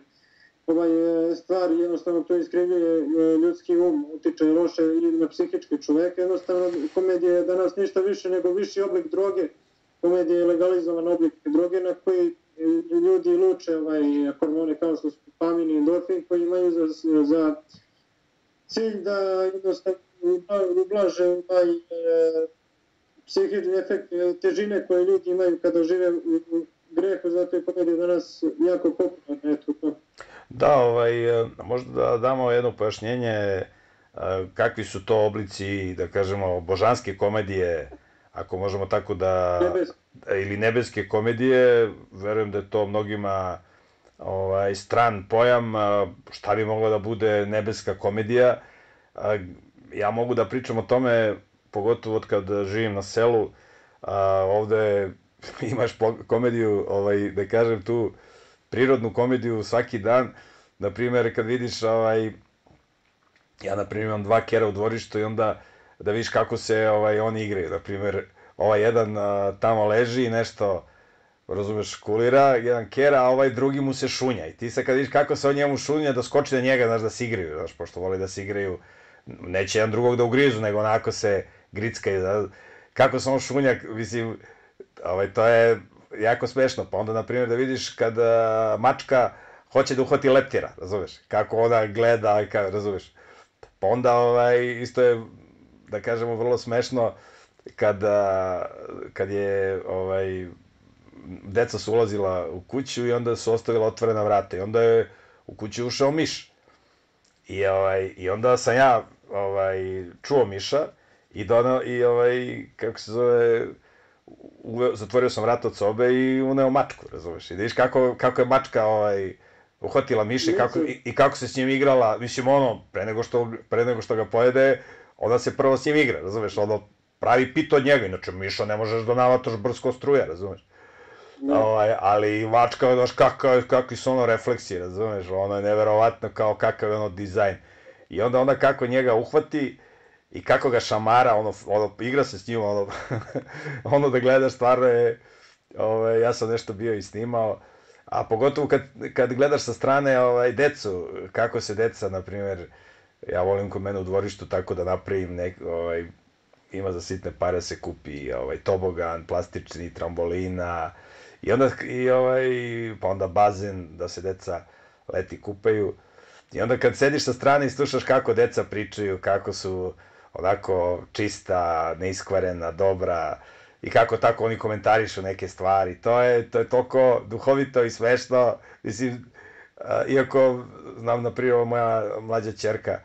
stvari, jednostavno to iskrivljuje ljudski utiče loše ili na psihičke čoveke. Jednostavno komedija je danas ništa više nego viši oblik droge. Komedija je legalizovan oblik droge na koji ljudi luče hormone kao što su dopamin i endorfin, koji imaju za cilj da jednostavno ublaže psihički efekt težine koje ljudi imaju kada žive u grehu, zato je komedija danas jako popularna. Eto to. Da, možda da damo jedno pojašnjenje kakvi su to oblici, da kažemo, božanske komedije, ako možemo tako da... ili nebeske komedije, verujem da je to mnogima stran pojam, šta bi mogla da bude nebeska komedija. Ja mogu da pričam o tome, pogotovo od kad živim na selu, ovde imaš komediju, da kažem tu, prirodnu komediju svaki dan. Naprimjer, kad vidiš, ja naprimjer imam 2 kera u dvorištu i onda da vidiš kako se oni igraju. Naprimjer, jedan tamo leži i nešto, razumeš, kulira, jedan kera, a drugi mu se šunja. I ti sad kad vidiš kako se on njemu šunja, da skoči na njega, znaš, da se igraju, znaš, pošto voli da se igraju, neće jedan drugog da ugrizu, nego onako se grickaju, kako se on šunja, mislim, to je jako smešno. Pa onda, na primjer, da vidiš kad mačka hoće da uhvati leptira, razumeš, kako ona gleda, razumeš. Pa onda isto je, da kažemo, vrlo smešno kad je deca su ulazila u kuću i onda su ostavila otvorena vrata i onda je u kuću ušao miš. I onda sam ja čuo miša i kako se zove, zatvorio sam vrat od sobe i uneo mačku, razumeš? I da vidiš kako je mačka uhvatila miša i kako se s njim igrala, mislim ono, pre nego što ga pojede, onda se prvo s njim igra, razumeš? Ono, pravi pit od njega, inače miša ne možeš da navataš brsko struja, razumeš? Ali mačka, znaš, kakvi su ono refleksi, razumeš? Ono je neverovatno kao kakav je ono dizajn. I onda ona kako njega uhvati i kako ga šamara, ono igra se s njim, ono da gledaš stvarno je, ja sam nešto bio i snimao, a pogotovo kad gledaš sa strane decu, kako se deca, na primjer, ja volim kod mene u dvorištu tako da napravim ima za sitne pare se kupi tobogan, plastični, trambolina, i onda pa onda bazen da se deca leti kupaju. I onda kad sediš sa strane i slušaš kako deca pričaju, kako su onako čista, neiskvarena, dobra i kako tako oni komentarišu neke stvari, to je toliko duhovito i smešno, mislim, iako znam, na primjer, moja mlađa ćerka,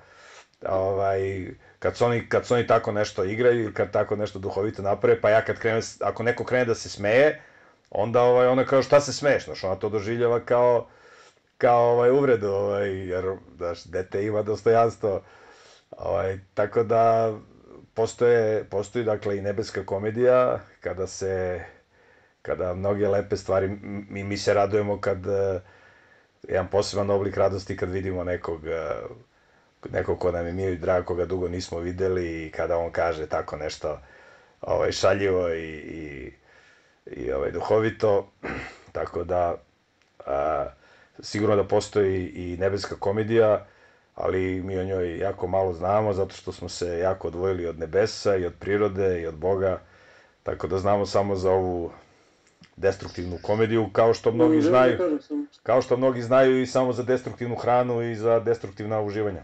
kad su oni tako nešto igraju ili kad tako nešto duhovito naprave, pa ja ako neko krene da se smeje, onda ona kao šta se smeješ, znaš, ona to doživljava kao uvredu, jer, znaš, dete ima dostojanstvo, tako da postoji, dakle, i nebeska komedija, kada mnoge lepe stvari, mi se radujemo jedan poseban oblik radosti kad vidimo nekog ko nam je mio i drag, koga dugo nismo videli i kada on kaže tako nešto šaljivo i duhovito, tako da sigurno da postoji i nebeska komedija, ali mi o njoj jako malo znamo, zato što smo se jako odvojili od nebesa i od prirode i od Boga, tako da znamo samo za ovu destruktivnu komediju, kao što mnogi znaju i samo za destruktivnu hranu i za destruktivna uživanja.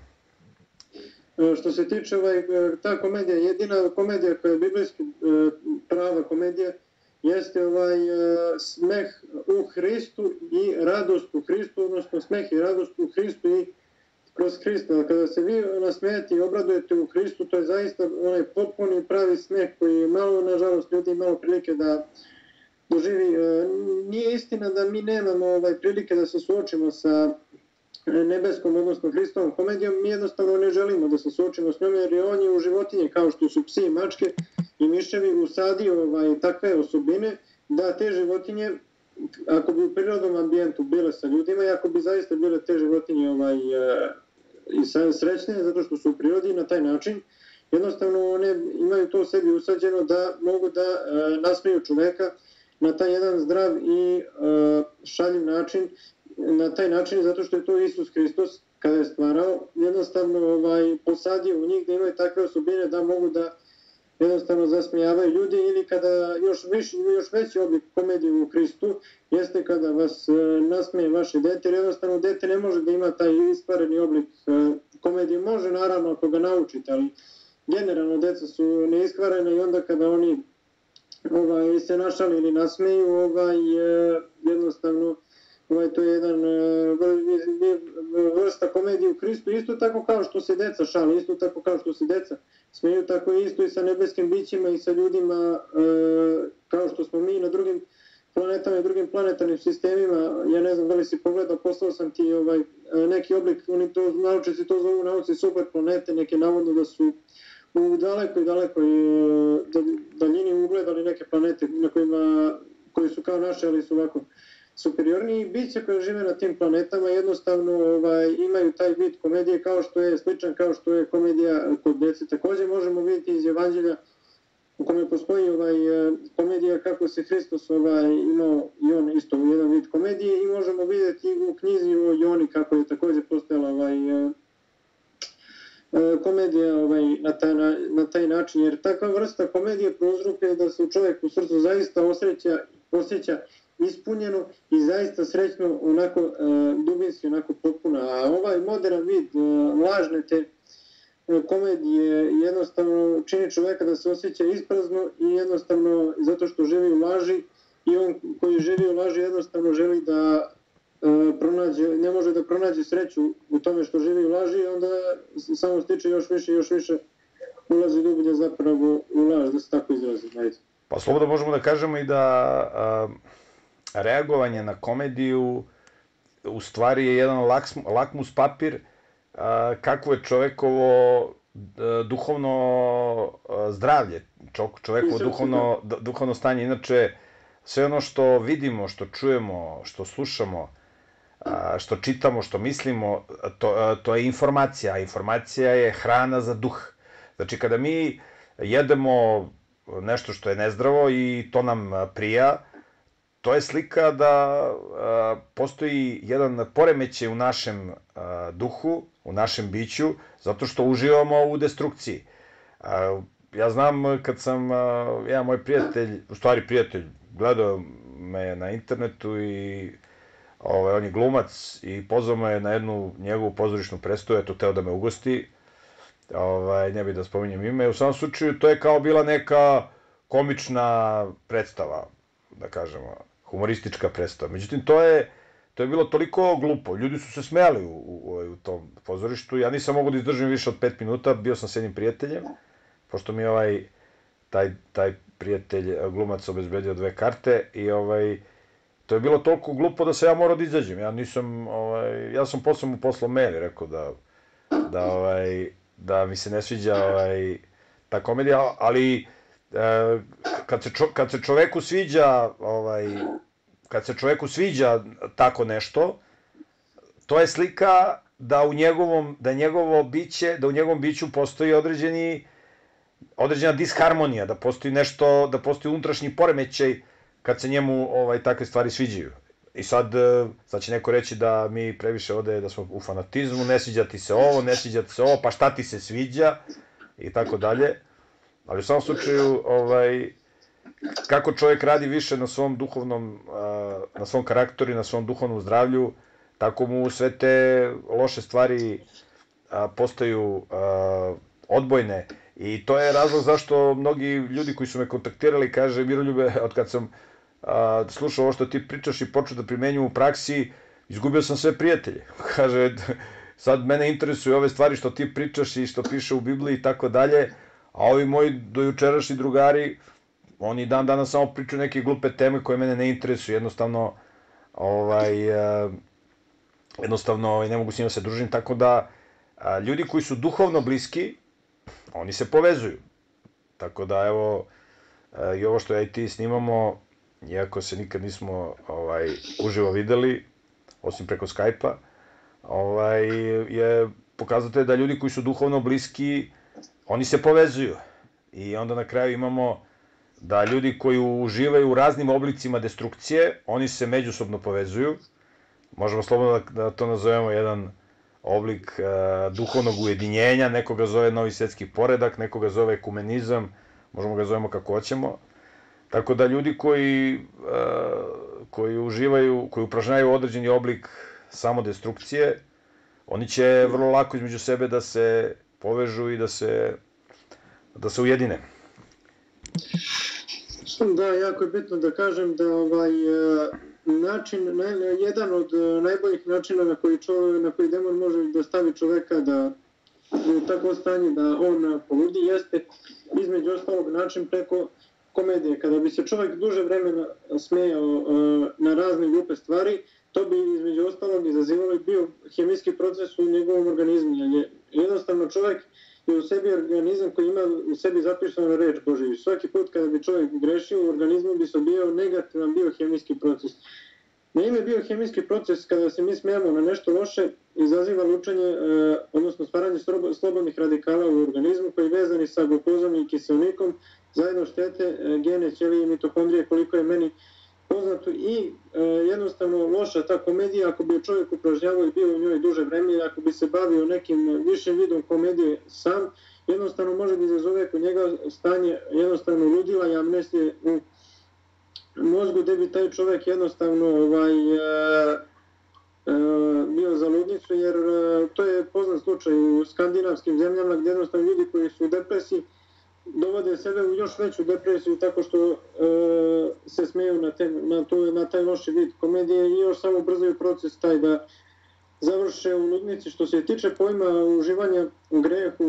Što se tiče ta komedija, jedina komedija koja je biblijski prava komedija, jeste smeh u Hristu i radost u Hristu, odnosno smeh i radost u Hristu i kroz Hrista. Kada se vi nasmejete i obradujete u Hristu, to je zaista onaj potpuni pravi smeh koji malo, nažalost, ljudi imalo prilike da doživi. Nije istina da mi nemamo prilike da se suočimo sa nebeskom, odnosno Hristovom komedijom, mi jednostavno ne želimo da se suočimo s njom, jer je on je u životinje, kao što su psi, mačke i miševi, usadio takve osobine da te životinje, ako bi u prirodnom ambijentu bile sa ljudima i ako bi zaista bile te životinje i srećne, zato što su u prirodi na taj način, jednostavno one imaju to u sebi usađeno da mogu da nasmeju čoveka na taj jedan zdrav i šaljiv način, na taj način zato što je to Isus Hristos kada je stvarao, jednostavno posadio u njih da imaju takve osobine da mogu da jednostavno zasmijavaju ljudi, ili kada još veći oblik komedije u Hristu jeste kada vas nasmeje vaše dete, jer jednostavno dete ne može da ima taj iskvareni oblik komedije, može naravno ako ga naučite, ali generalno deca su neiskvarene i onda kada oni se našali ili nasmeju, jednostavno to je jedan vrsta komedije u Hristu, isto tako kao što se deca šale, isto tako kao što se deca smeju, tako isto i sa nebeskim bićima i sa ljudima, kao što smo mi na drugim planetama i drugim planetarnim sistemima. Ja ne znam da li si pogledao, poslao sam ti neki oblik, naučnici to zovu nauci super planete, neke navodno da su u dalekoj daljini ugledali neke planete koji su kao naše, ali su ovako superiorniji. Biće koje žive na tim planetama jednostavno imaju taj vid komedije sličan kao što je komedija kod dece. Takođe možemo vidjeti iz Evanđelja u kome postoji komedija kako se Hristos imao i on isto jedan vid komedije, i možemo vidjeti u knjizi o Joni kako je takođe postojala komedija na taj način, jer takva vrsta komedije prouzrokuje da se u čoveku u srcu zaista osjeća ispunjeno i zaista srećno, onako dubinski, onako potpuno. A ovaj modern vid lažne te komedije jednostavno čini čoveka da se osjeća isprazno i jednostavno zato što živi u laži, i on koji živi u laži jednostavno želi da ne može da pronađe sreću u tome što živi u laži, i onda samo stiče još više ulazi dublje zapravo u laž, da se tako izrazi. Pa slobodno možemo da kažemo i da reagovanje na komediju u stvari je jedan lakmus papir kakvo je čovekovo duhovno zdravlje, čovekovo duhovno stanje. Inače, sve ono što vidimo, što čujemo, što slušamo, što čitamo, što mislimo, to je informacija, a informacija je hrana za duh. Znači, kada mi jedemo nešto što je nezdravo i to nam prija, to je slika da postoji jedan poremećaj u našem duhu, u našem biću, zato što uživamo u destrukciji. Ja znam kad sam, jedan moj prijatelj, u stvari prijatelj, gledao me na internetu i on je glumac i pozvao me na jednu njegovu pozorišnu predstavu, eto, teo da me ugosti, ne bih da spominjem ime, u samom slučaju to je kao bila neka komična predstava, da kažemo, humoristička predstava. Međutim, to je bilo toliko glupo, ljudi su se smejali u tom pozorištu, ja nisam mogao da izdržim više od 5 minuta, bio sam s jednim prijateljem, pošto mi je taj prijatelj glumac obezbedio 2 karte i to je bilo toliko glupo da se ja morao da izađem. Ja sam posle mu poslao mail i rekao da mi se ne sviđa ta komedija, ali kad se čoveku sviđa tako nešto, to je slika da u njegovom biću postoji određena disharmonija, da postoji nešto, da postoji unutrašnji poremećaj kad se njemu takve stvari sviđaju. I sad će neko reći da mi previše ovde, da smo u fanatizmu, ne sviđa ti se ovo, ne sviđa ti se ovo, pa šta ti se sviđa, i tako dalje. Ali u samom slučaju, kako čovjek radi više na svom duhovnom, na svom karakteru i na svom duhovnom zdravlju, tako mu sve te loše stvari postaju odbojne. I to je razlog zašto mnogi ljudi koji su me kontaktirali kaže: Miroljube, od kad sam slušao ovo što ti pričaš i počeo da primenjujem u praksi, izgubio sam sve prijatelje. Kaže, sad mene interesuju ove stvari što ti pričaš i što piše u Bibliji i tako dalje, a ovi moji dojučerašnji drugari, oni dan danas samo pričaju neke glupe teme koje mene ne interesuju, jednostavno ne mogu s njima se družim, tako da ljudi koji su duhovno bliski, oni se povezuju. Tako da, evo, i ovo što ja i ti snimamo, iako se nikad nismo uživo videli, osim preko Skype-a, je pokazatelj da ljudi koji su duhovno bliski, oni se povezuju. I onda na kraju imamo da ljudi koji uživaju u raznim oblicima destrukcije, oni se međusobno povezuju. Možemo slobodno da to nazovemo jedan oblik duhovnog ujedinjenja, neko ga zove novi svetski poredak, neko ga zove ekumenizam, možemo ga zovemo kako hoćemo. Tako da ljudi koji uživaju, koji upražnjavaju određeni oblik samodestrukcije, oni će vrlo lako između sebe da se povežu i da se ujedine. Da, jako je bitno da kažem da jedan od najboljih načina na koji demon može da stavi čoveka da u takvo stanje da on poludi jeste između ostalog način preko komedije. Kada bi se čovek duže vremena smejao na razne glupe stvari, to bi između ostalog izazivalo i biohemijski proces u njegovom organizmu. Jednostavno čovek je u sebi organizam koji ima u sebi zapisanu reč Božiju. Svaki put kada bi čovjek grešio, u organizmu bi se odvijao negativan biohemijski proces. Na ime biohemijski proces, kada se mi smijamo na nešto loše, izaziva lučenje, odnosno stvaranje slobodnih radikala u organizmu koji vezani sa glukozom i kiselnikom zajedno štete gene, ćelije i mitohondrije, koliko je meni poznato, i jednostavno loša ta komedija, ako bi čovjek upražnjavao i bio u njoj duže vreme, ako bi se bavio nekim višim vidom komedije sam, jednostavno može da izazove kod njega stanje jednostavno ludila i amnestije u mozgu, gde bi taj čovjek jednostavno bio za ludnicu, jer to je poznat slučaj u skandinavskim zemljama gdje jednostavno ljudi koji su u depresiji dovode sebe u još veću depresiju tako što se smeju na taj loši vid komedije i još samo ubrzaju proces taj da završe u ludnici. Što se tiče pojma uživanja u grehu,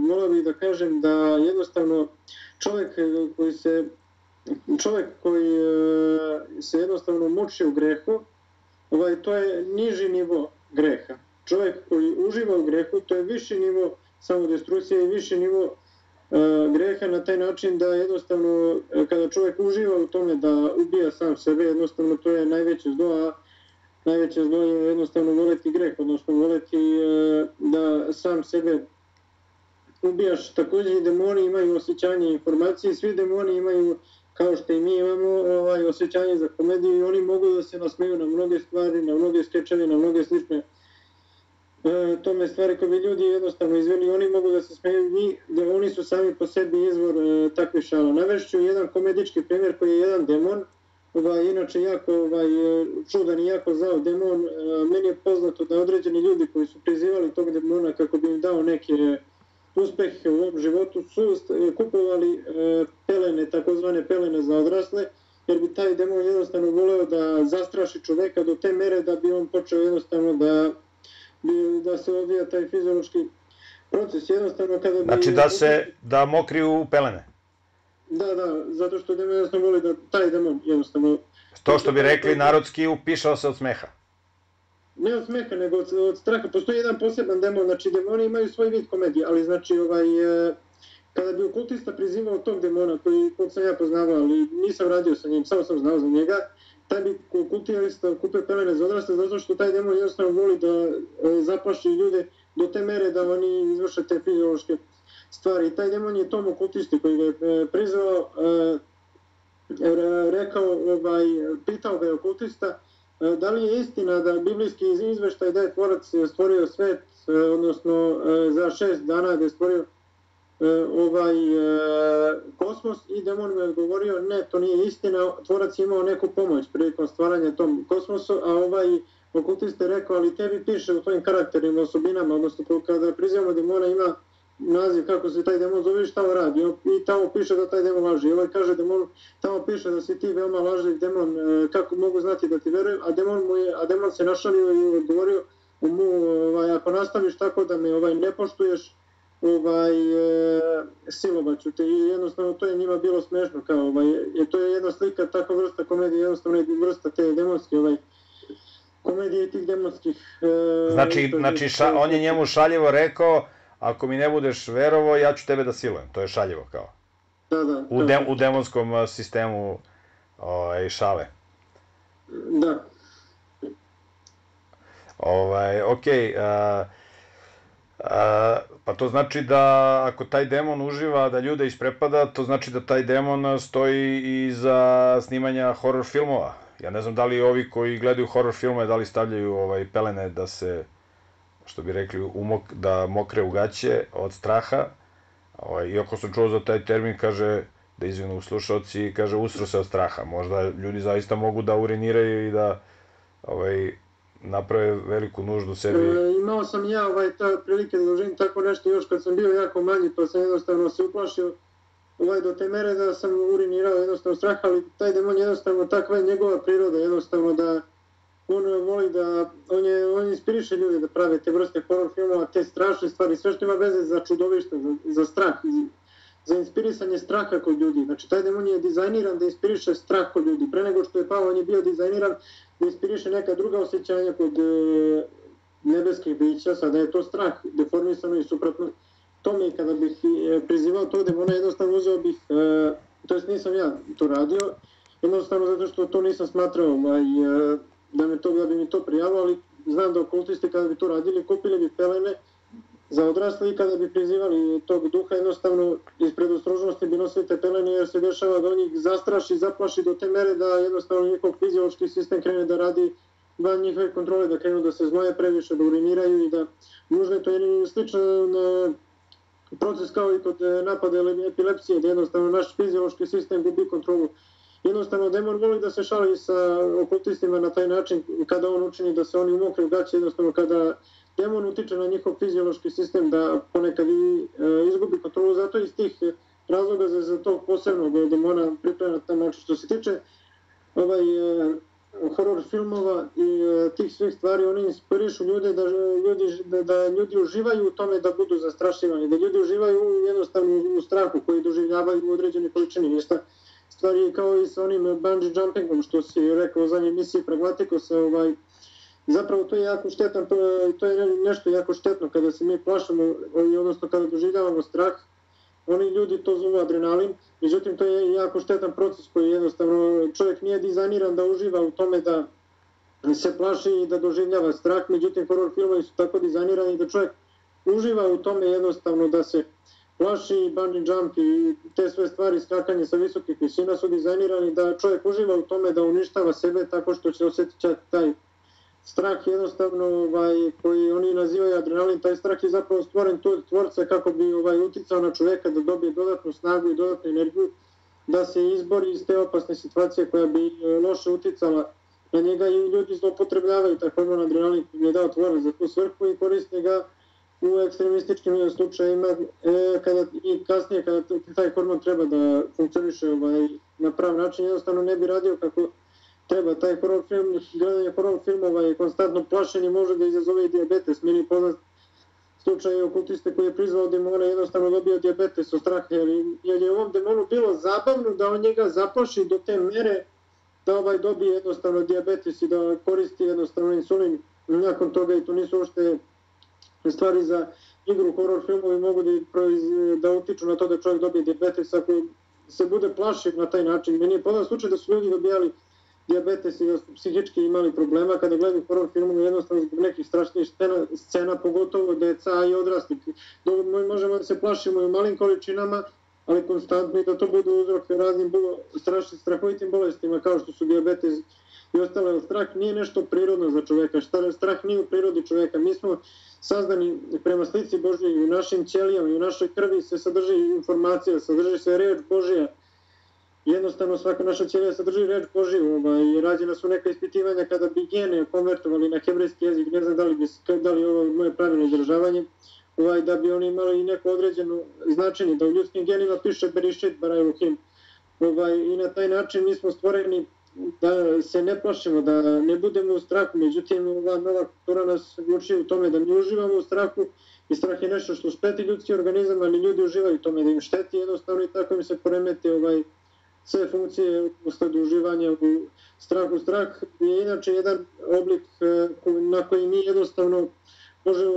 volao bih da kažem da jednostavno čovjek koji se jednostavno muči u grehu, to je niži nivo greha. Čovjek koji uživa u grehu, to je viši nivo samodestrukcije i viši nivo greha na taj način da jednostavno kada čovjek uživa u tome da ubija sam sebe, jednostavno to je najveće zlo, a najveće zlo je jednostavno voleti greh, odnosno voleti da sam sebe ubijaš. Također i demoni imaju osjećanje informacije, svi demoni imaju, kao što i mi imamo, osjećanje za komediju i oni mogu da se nasmeju na mnoge stvari, na mnoge skečeve, na mnoge slične tome stvari koje bi ljudi jednostavno izveli, oni mogu da se smeju i da oni su sami po sebi izvor takve šala. Navešću jedan komedički primjer koji je jedan demon, inače jako čudan i jako zao demon. Meni je poznato da određeni ljudi koji su prizivali tog demona kako bi im dao neke uspehe u ovom životu su kupovali pelene, takozvane pelene za odrasle, jer bi taj demon jednostavno voleo da zastraši čoveka do te mere da bi on počeo jednostavno da se odvija taj fiziološki proces. Jednostavno kada bi... Znači da mokri u pelene? Da, zato što demon jednostavno voli da taj demon jednostavno... To što bi rekli narodski, upišao se od smeha. Ne od smeha, nego od straha. Postoji jedan poseban demon, znači demoni imaju svoj vid komedije, ali znači kada bi okultista prizivao tog demona, kog sam ja poznavao, ali nisam radio sa njim, samo sam znao za njega, taj bi okultista kupio pelene za odrasle, zato što taj demon jednostavno voli da zaplaši ljude do te mere da oni izvrše te fiziološke stvari. I taj demon je tom okultisti koji ga je prizvao, rekao, pitao ga je okultista, da li je istina da biblijski izveštaj da je tvorac stvorio svet, odnosno za 6 dana da je stvorio kosmos, i demon mu je odgovorio ne, to nije istina, tvorac je imao neku pomoć prilikom stvaranja tom kosmosu, a okultista je rekao, ali tebi piše u tvojim karakterima, osobinama, odnosno kada prizivamo demona ima naziv kako se taj demon zove i šta on radi, i tamo piše da taj demon laži. Kaže demon, tamo piše da si ti veoma lažljiv demon, kako mogu znati da ti verujem, a demon se našalio i odgovorio mu, ako nastaviš tako da me ne poštuješ, silovaću te. I jednostavno to je njima bilo smešno, kao to je jedna slika, takva vrsta komedije, jednostavno je vrsta te demonske komedije i tih demonskih... Znači, on je njemu šaljivo rekao, ako mi ne budeš verovo, ja ću tebe da silujem. To je šaljivo, kao. Da. U demonskom sistemu šale. Da. Okej. Pa to znači da ako taj demon uživa da ljude isprepada, to znači da taj demon stoji i za snimanja horror filmova. Ja ne znam da li ovi koji gledaju horror filmove, da li stavljaju pelene da se, što bi rekli, da mokre u gaće od straha. Iako sam čuo za taj termin, kaže, da izvinu slušalci, kaže, usro se od straha. Možda ljudi zaista mogu da uriniraju i da naprave veliku nuždu sebi. Imao sam ja prilike da doživim tako nešto još kad sam bio jako manji, pa sam jednostavno se uplašio do te mere da sam urinirao jednostavno straha, ali taj demon jednostavno takva je njegova priroda, jednostavno da on voli da, on inspiriše ljude da prave te vrste horror filmova, te strašne stvari, sve što ima veze za čudovište, za strah, za inspirisanje straha kod ljudi. Znači, taj demon je dizajniran da inspiriše strah kod ljudi. Pre nego što je pao, on je bio dizajniran da inspiriše neka druga osjećanja kod nebeskih bića, sada je to strah, deformisano i suprotno tome. I kada bih prizivao tog demona, jednostavno uzeo bih, to jest nisam ja to radio, jednostavno zato što to nisam smatrao da bi mi to prijavilo, ali znam da okultisti kada bi to radili, kupili bi pelene za odrasle i kada bi prizivali tog duha, jednostavno iz predostrožnosti bi nosili te pelene, jer se dešava da on ih zastraši, zaplaši do te mere da jednostavno njihov fiziološki sistem krene da radi van njihove kontrole, da krenu da se znoje previše, da uriniraju i da nužno je to jedan sličan proces kao i kod napada epilepsije, da jednostavno naš fiziološki sistem gubi kontrolu. Jednostavno, demon voli da se šali sa okultistima na taj način kada on učini da se oni umokre u gaće, jednostavno kada demon utiče na njihov fiziološki sistem da ponekad izgubi kontrolu, zato iz tih razloga za tog posebnog demona pripremljena na taj način. Što se tiče horor filmova i tih svih stvari, oni inspirišu ljude da ljudi uživaju u tome da budu zastrašivani, da ljudi uživaju jednostavno u strahu koji doživljavaju u određenoj količini. Ništa stvari kao i sa onim bungee jumpingom što si rekao u zadnjoj emisiji Pragmatikosa, zapravo to je jako štetno, to je nešto jako štetno kada se mi plašimo, odnosno kada doživljavamo strah. Oni ljudi to zovu adrenalin, međutim to je jako štetan proces koji jednostavno čovjek nije dizajniran da uživa u tome da se plaši i da doživljava strah, međutim horror filmovi su tako dizajnirani da čovjek uživa u tome jednostavno da se plaši, bungee jump i te sve stvari, skakanje sa visokih visina su dizajnirani da čovjek uživa u tome da uništava sebe tako što će osjetiti taj strah jednostavno koji oni nazivaju adrenalin. Taj strah je zapravo stvoren tu od tvorca kako bi uticao na čoveka da dobije dodatnu snagu i dodatnu energiju da se izbori iz te opasne situacije koja bi loše uticala na njega i ljudi zloupotrebljavaju taj hormon adrenalin koji je dao tvorac za tu svrhu i koriste ga u ekstremističkim slučajima i kasnije kada taj hormon treba da funkcioniše na prav način, jednostavno ne bi radio kako treba. Taj horror film, gledanje horror filmova i konstantno plašenje može da izazove i dijabetes. Meni je poznat slučaj okultiste koji je prizvao demona i jednostavno dobio dijabetes od straha, jer je ovom demonu bilo zabavno da on njega zaplaši do te mere da dobije jednostavno dijabetes i da koristi jednostavno insulin nakon toga, i to nisu uopšte stvari za igru. Horror filmovi mogu da utiču na to da čovjek dobije dijabetes ako se bude plašio na taj način. Meni je poznat slučaj da su ljudi dobijali dijabetes i da su psihički imali problema kada gledaju horror filmove jednostavno zbog nekih strašnih scena, pogotovo deca i odrasli. Možemo da se plašimo i u malim količinama, ali konstantno i da to bude uzrok raznim strahovitim bolestima kao što su dijabetes i ostale. Strah nije nešto prirodno za čoveka, strah nije u prirodi čoveka. Mi smo sazdani prema slici Božjoj i u našim ćelijama i u našoj krvi se sadrži informacija, sadrži se reč Božja. Jednostavno svaka naša ćelija sadrži reč Božiju i rađena su neka ispitivanja kada bi gene konvertovali na hebrejski jezik, ne znam da li ovo moje pravilno izražavanje, da bi oni imali i neko određeno značenje, da u ljudskim genima piše Berešit bara Elohim. I na taj način mi smo stvoreni da se ne plašimo, da ne budemo u strahu, međutim ova nova kultura nas uči u tome da mi uživamo u strahu i strah je nešto što šteti ljudski organizam, ali ljudi uživaju u tome da im šteti jednostavno i tako im se poremeti sve funkcije usled uživanja u strahu. Strah je inače jedan oblik na koji mi jednostavno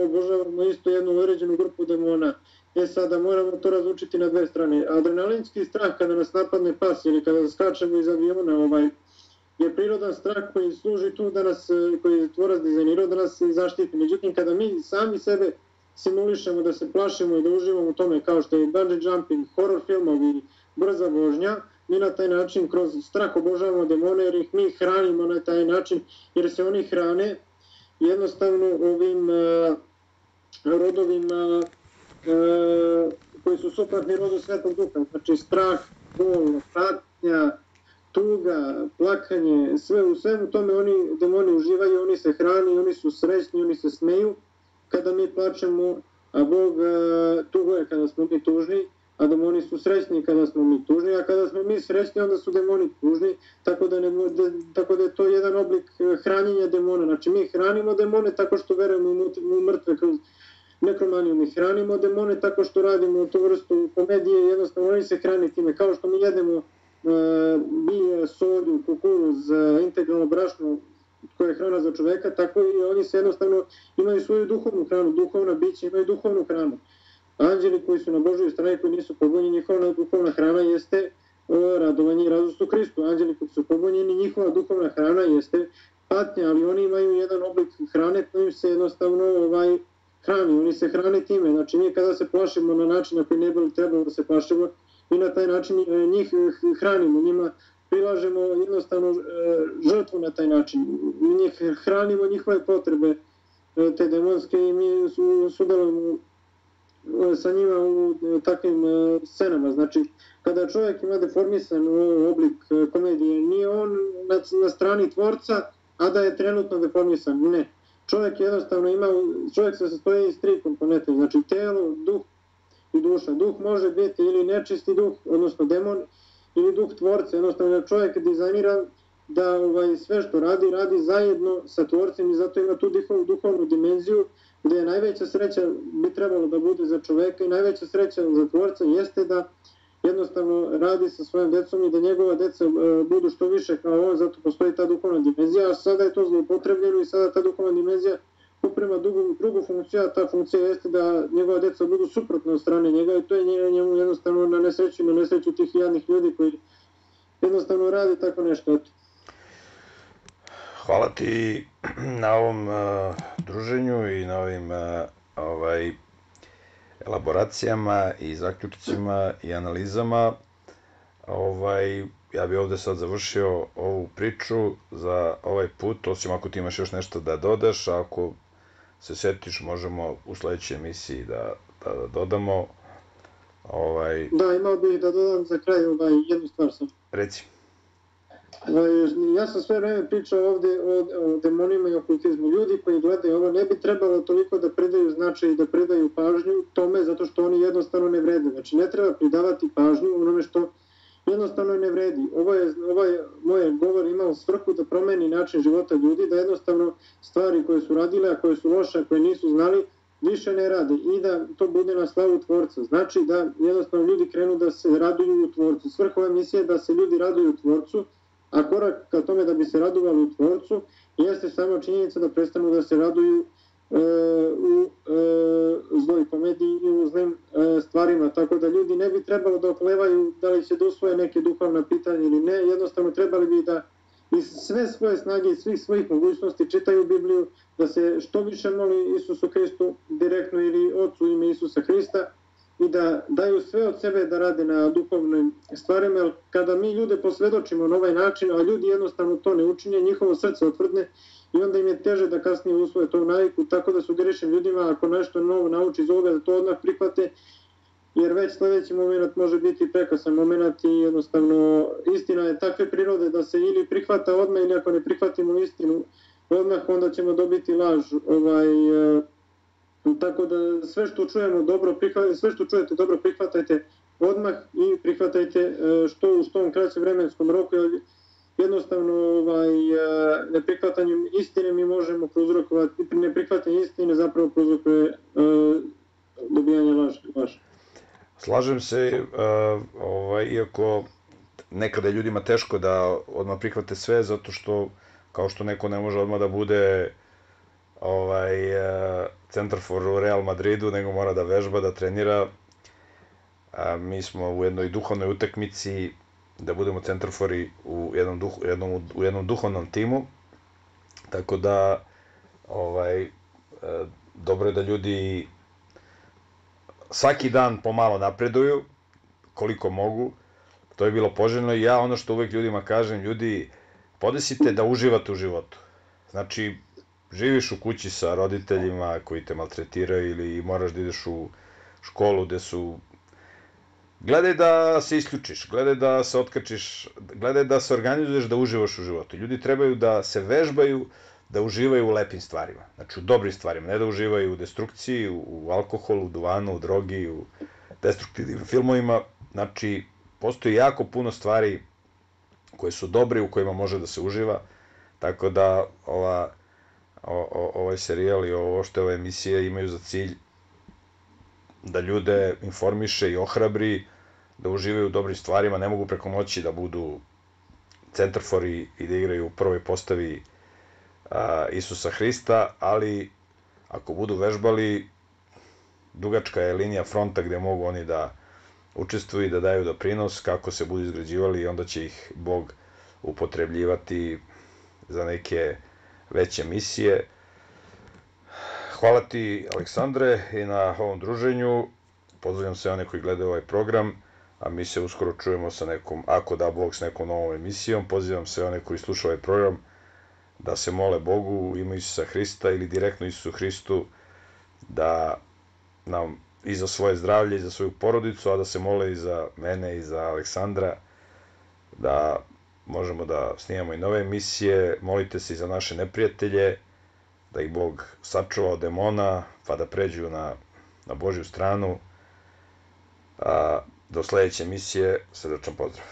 obožavamo isto jednu određenu grupu demona. Sada moramo to razlučiti na dve strane. Adrenalinski strah kada nas napadne pas ili kada skačemo iz aviona je prirodan strah koji služi tu da nas, koji je tvorac dizajnirao da nas zaštiti. Međutim, kada mi sami sebe simulišemo da se plašimo i da uživamo u tome kao što je bungee jumping, horror filmovi, brza vožnja, mi na taj način kroz strah obožavamo demone jer ih mi hranimo na taj način, jer se oni hrane jednostavno ovim rodovima koji su suprotni rodu Svetog Duha. Znači strah, bol, patnja, tuga, plakanje, sve u svemu tome demoni uživaju, oni se hrani, oni su srećni, oni se smeju kada mi plačemo, a Bog tuguje kada smo mi tužni, a demoni su srećni kada smo mi tužni, a kada smo mi srećni onda su demoni tužni, tako da je to jedan oblik hranjenja demona. Znači mi hranimo demone tako što verujemo u mrtve kroz nekromaniju, mi hranimo demone tako što radimo tu vrstu komedije, jednostavno oni se hrani time, kao što mi jedemo bilje, solju, kukuruz, integralno brašno koje je hrana za čoveka, tako i oni se jednostavno imaju svoju duhovnu hranu, duhovna bića imaju duhovnu hranu. Anđeli koji su na Božoj strani, koji nisu pobunjeni, njihova duhovna hrana jeste radovanje i radost u Hristu. Anđeli koji su pobunjeni, njihova duhovna hrana jeste patnja, ali oni imaju jedan oblik hrane kojim se jednostavno hrani, oni se hrane time. Znači mi kada se plašimo na način na koji ne bi trebalo da se plašimo, mi na taj način njih hranimo, njima prilažemo jednostavno žrtvu na taj način. Mi njih hranimo njihove potrebe, te demonske, i mi sudelujemo sa njima u takvim scenama. Znači, kada čovjek ima deformisan oblik komedije, nije on na strani tvorca, a da je trenutno deformisan. Ne. Čovjek jednostavno čovjek se sastoji iz tri komponente, znači telo, duh i duša. Duh može biti ili nečisti duh, odnosno demon, ili duh tvorca. Jednostavno čovjek je dizajniran da sve što radi, radi zajedno sa tvorcem i zato ima tu duhovnu dimenziju gde je najveća sreća bi trebalo da bude za čoveka i najveća sreća za tvorca jeste da jednostavno radi sa svojim decom i da njegova deca budu što više kao on, zato postoji ta duhovna dimenzija, a sada je to zloupotrebljeno i sada ta duhovna dimenzija uprema drugu funkciju, a ta funkcija jeste da njegova deca budu suprotne od strane njega i to je njemu jednostavno na nesreću tih jadnih ljudi koji jednostavno radi tako nešto. Hvala ti na ovom druženju i na ovim elaboracijama i zaključcima i analizama. Ja bih ovde sad završio ovu priču za ovaj put, osim ako ti imaš još nešto da dodaš, a ako se setiš možemo u sledećoj emisiji da dodamo. Da, imao bih da dodam za kraj jednu stvar sam. Reci. Ja sam sve vreme pričao ovde o demonima i okultizmu. Ljudi koji gledaju ovo ne bi trebalo toliko da pridaju značaj i da pridaju pažnju tome zato što oni jednostavno ne vrede. Znači ne treba pridavati pažnju onome što jednostavno ne vredi. Ovaj moj govor imao svrhu da promeni način života ljudi, da jednostavno stvari koje su radile, a koje su loše, a koje nisu znali, više ne rade i da to bude na slavu tvorca. Znači da jednostavno ljudi krenu da se raduju u tvorcu. Svrha ove misije je da se ljudi raduju u tvorcu, a korak ka tome da bi se radovali u tvorcu jeste samo činjenica da prestanu da se raduju u zloj komediji i u zlim stvarima. Tako da ljudi ne bi trebalo da oklevaju da li će da usvoje neke duhovna pitanja ili ne. Jednostavno trebali bi da iz sve svoje snage i svih svojih mogućnosti čitaju Bibliju, da se što više moli Isusu Hristu direktno ili Otcu ime Isusa Hrista i da daju sve od sebe da rade na duhovnim stvarima, jer kada mi ljude posvedočimo na ovaj način, a ljudi jednostavno to ne učinje, njihovo srce otvrdne i onda im je teže da kasnije usvoje tu naviku, tako da sugerišem ljudima ako nešto novo nauči iz ovoga da to odmah prihvate, jer već sledeći moment može biti prekasan moment i jednostavno istina je takve prirode da se ili prihvata odmah ili ako ne prihvatimo istinu odmah onda ćemo dobiti laž. Tako da sve što čujemo dobro prihvatajte, sve što čujete dobro prihvatajte odmah i prihvatajte u što kraćem vremenskom roku, jer jednostavno neprihvatanjem istine mi možemo prouzrokovati, neprihvatanje istine zapravo prouzrokuje dobijanje laži. Slažem se, iako nekada je ljudima teško da odmah prihvate sve, zato što kao što neko ne može odmah da bude centarfor u Real Madridu, nego mora da vežba, da trenira. Mi smo u jednoj duhovnoj utakmici da budemo centarfori u jednom duhovnom timu, tako da dobro je da ljudi svaki dan pomalo napreduju, koliko mogu, to je bilo poželjno i ja ono što uvek ljudima kažem, ljudi, podesite da uživate u životu. Znači, živiš u kući sa roditeljima koji te maltretiraju ili moraš da ideš u školu gde su... Gledaj da se isključiš, gledaj da se otkačiš, gledaj da se organizuješ da uživaš u životu. Ljudi trebaju da se vežbaju, da uživaju u lepim stvarima, znači u dobrim stvarima, ne da uživaju u destrukciji, u alkoholu, u duvanu, u drogi, u destruktivnim filmovima. Znači, postoji jako puno stvari koje su dobre, u kojima može da se uživa, tako da ovaj serijal i ovo što je ova emisija imaju za cilj da ljude informiše i ohrabri, da uživaju u dobrim stvarima, ne mogu preko noći da budu centarfori i da igraju u prvoj postavi Isusa Hrista, ali ako budu vežbali, dugačka je linija fronta gde mogu oni da učestvuju i da daju doprinos, kako se budu izgrađivali i onda će ih Bog upotrebljivati za neke veće misije. Hvala ti, Aleksandre, i na ovom druženju. Pozdravljam sve one koji gledaju ovaj program, a mi se uskoro čujemo sa nekom, ako da Bog, s nekom novom emisijom. Pozivam sve one koji slušaju ovaj program da se mole Bogu u ime Isusa Hrista ili direktno Isusu Hristu da nam i za svoje zdravlje i za svoju porodicu, a da se mole i za mene i za Aleksandra, da možemo da snimamo i nove emisije. Molite se i za naše neprijatelje, da ih Bog sačuva od demona, pa da pređu na Božju stranu. Do sledeće emisije, srdačan pozdrav.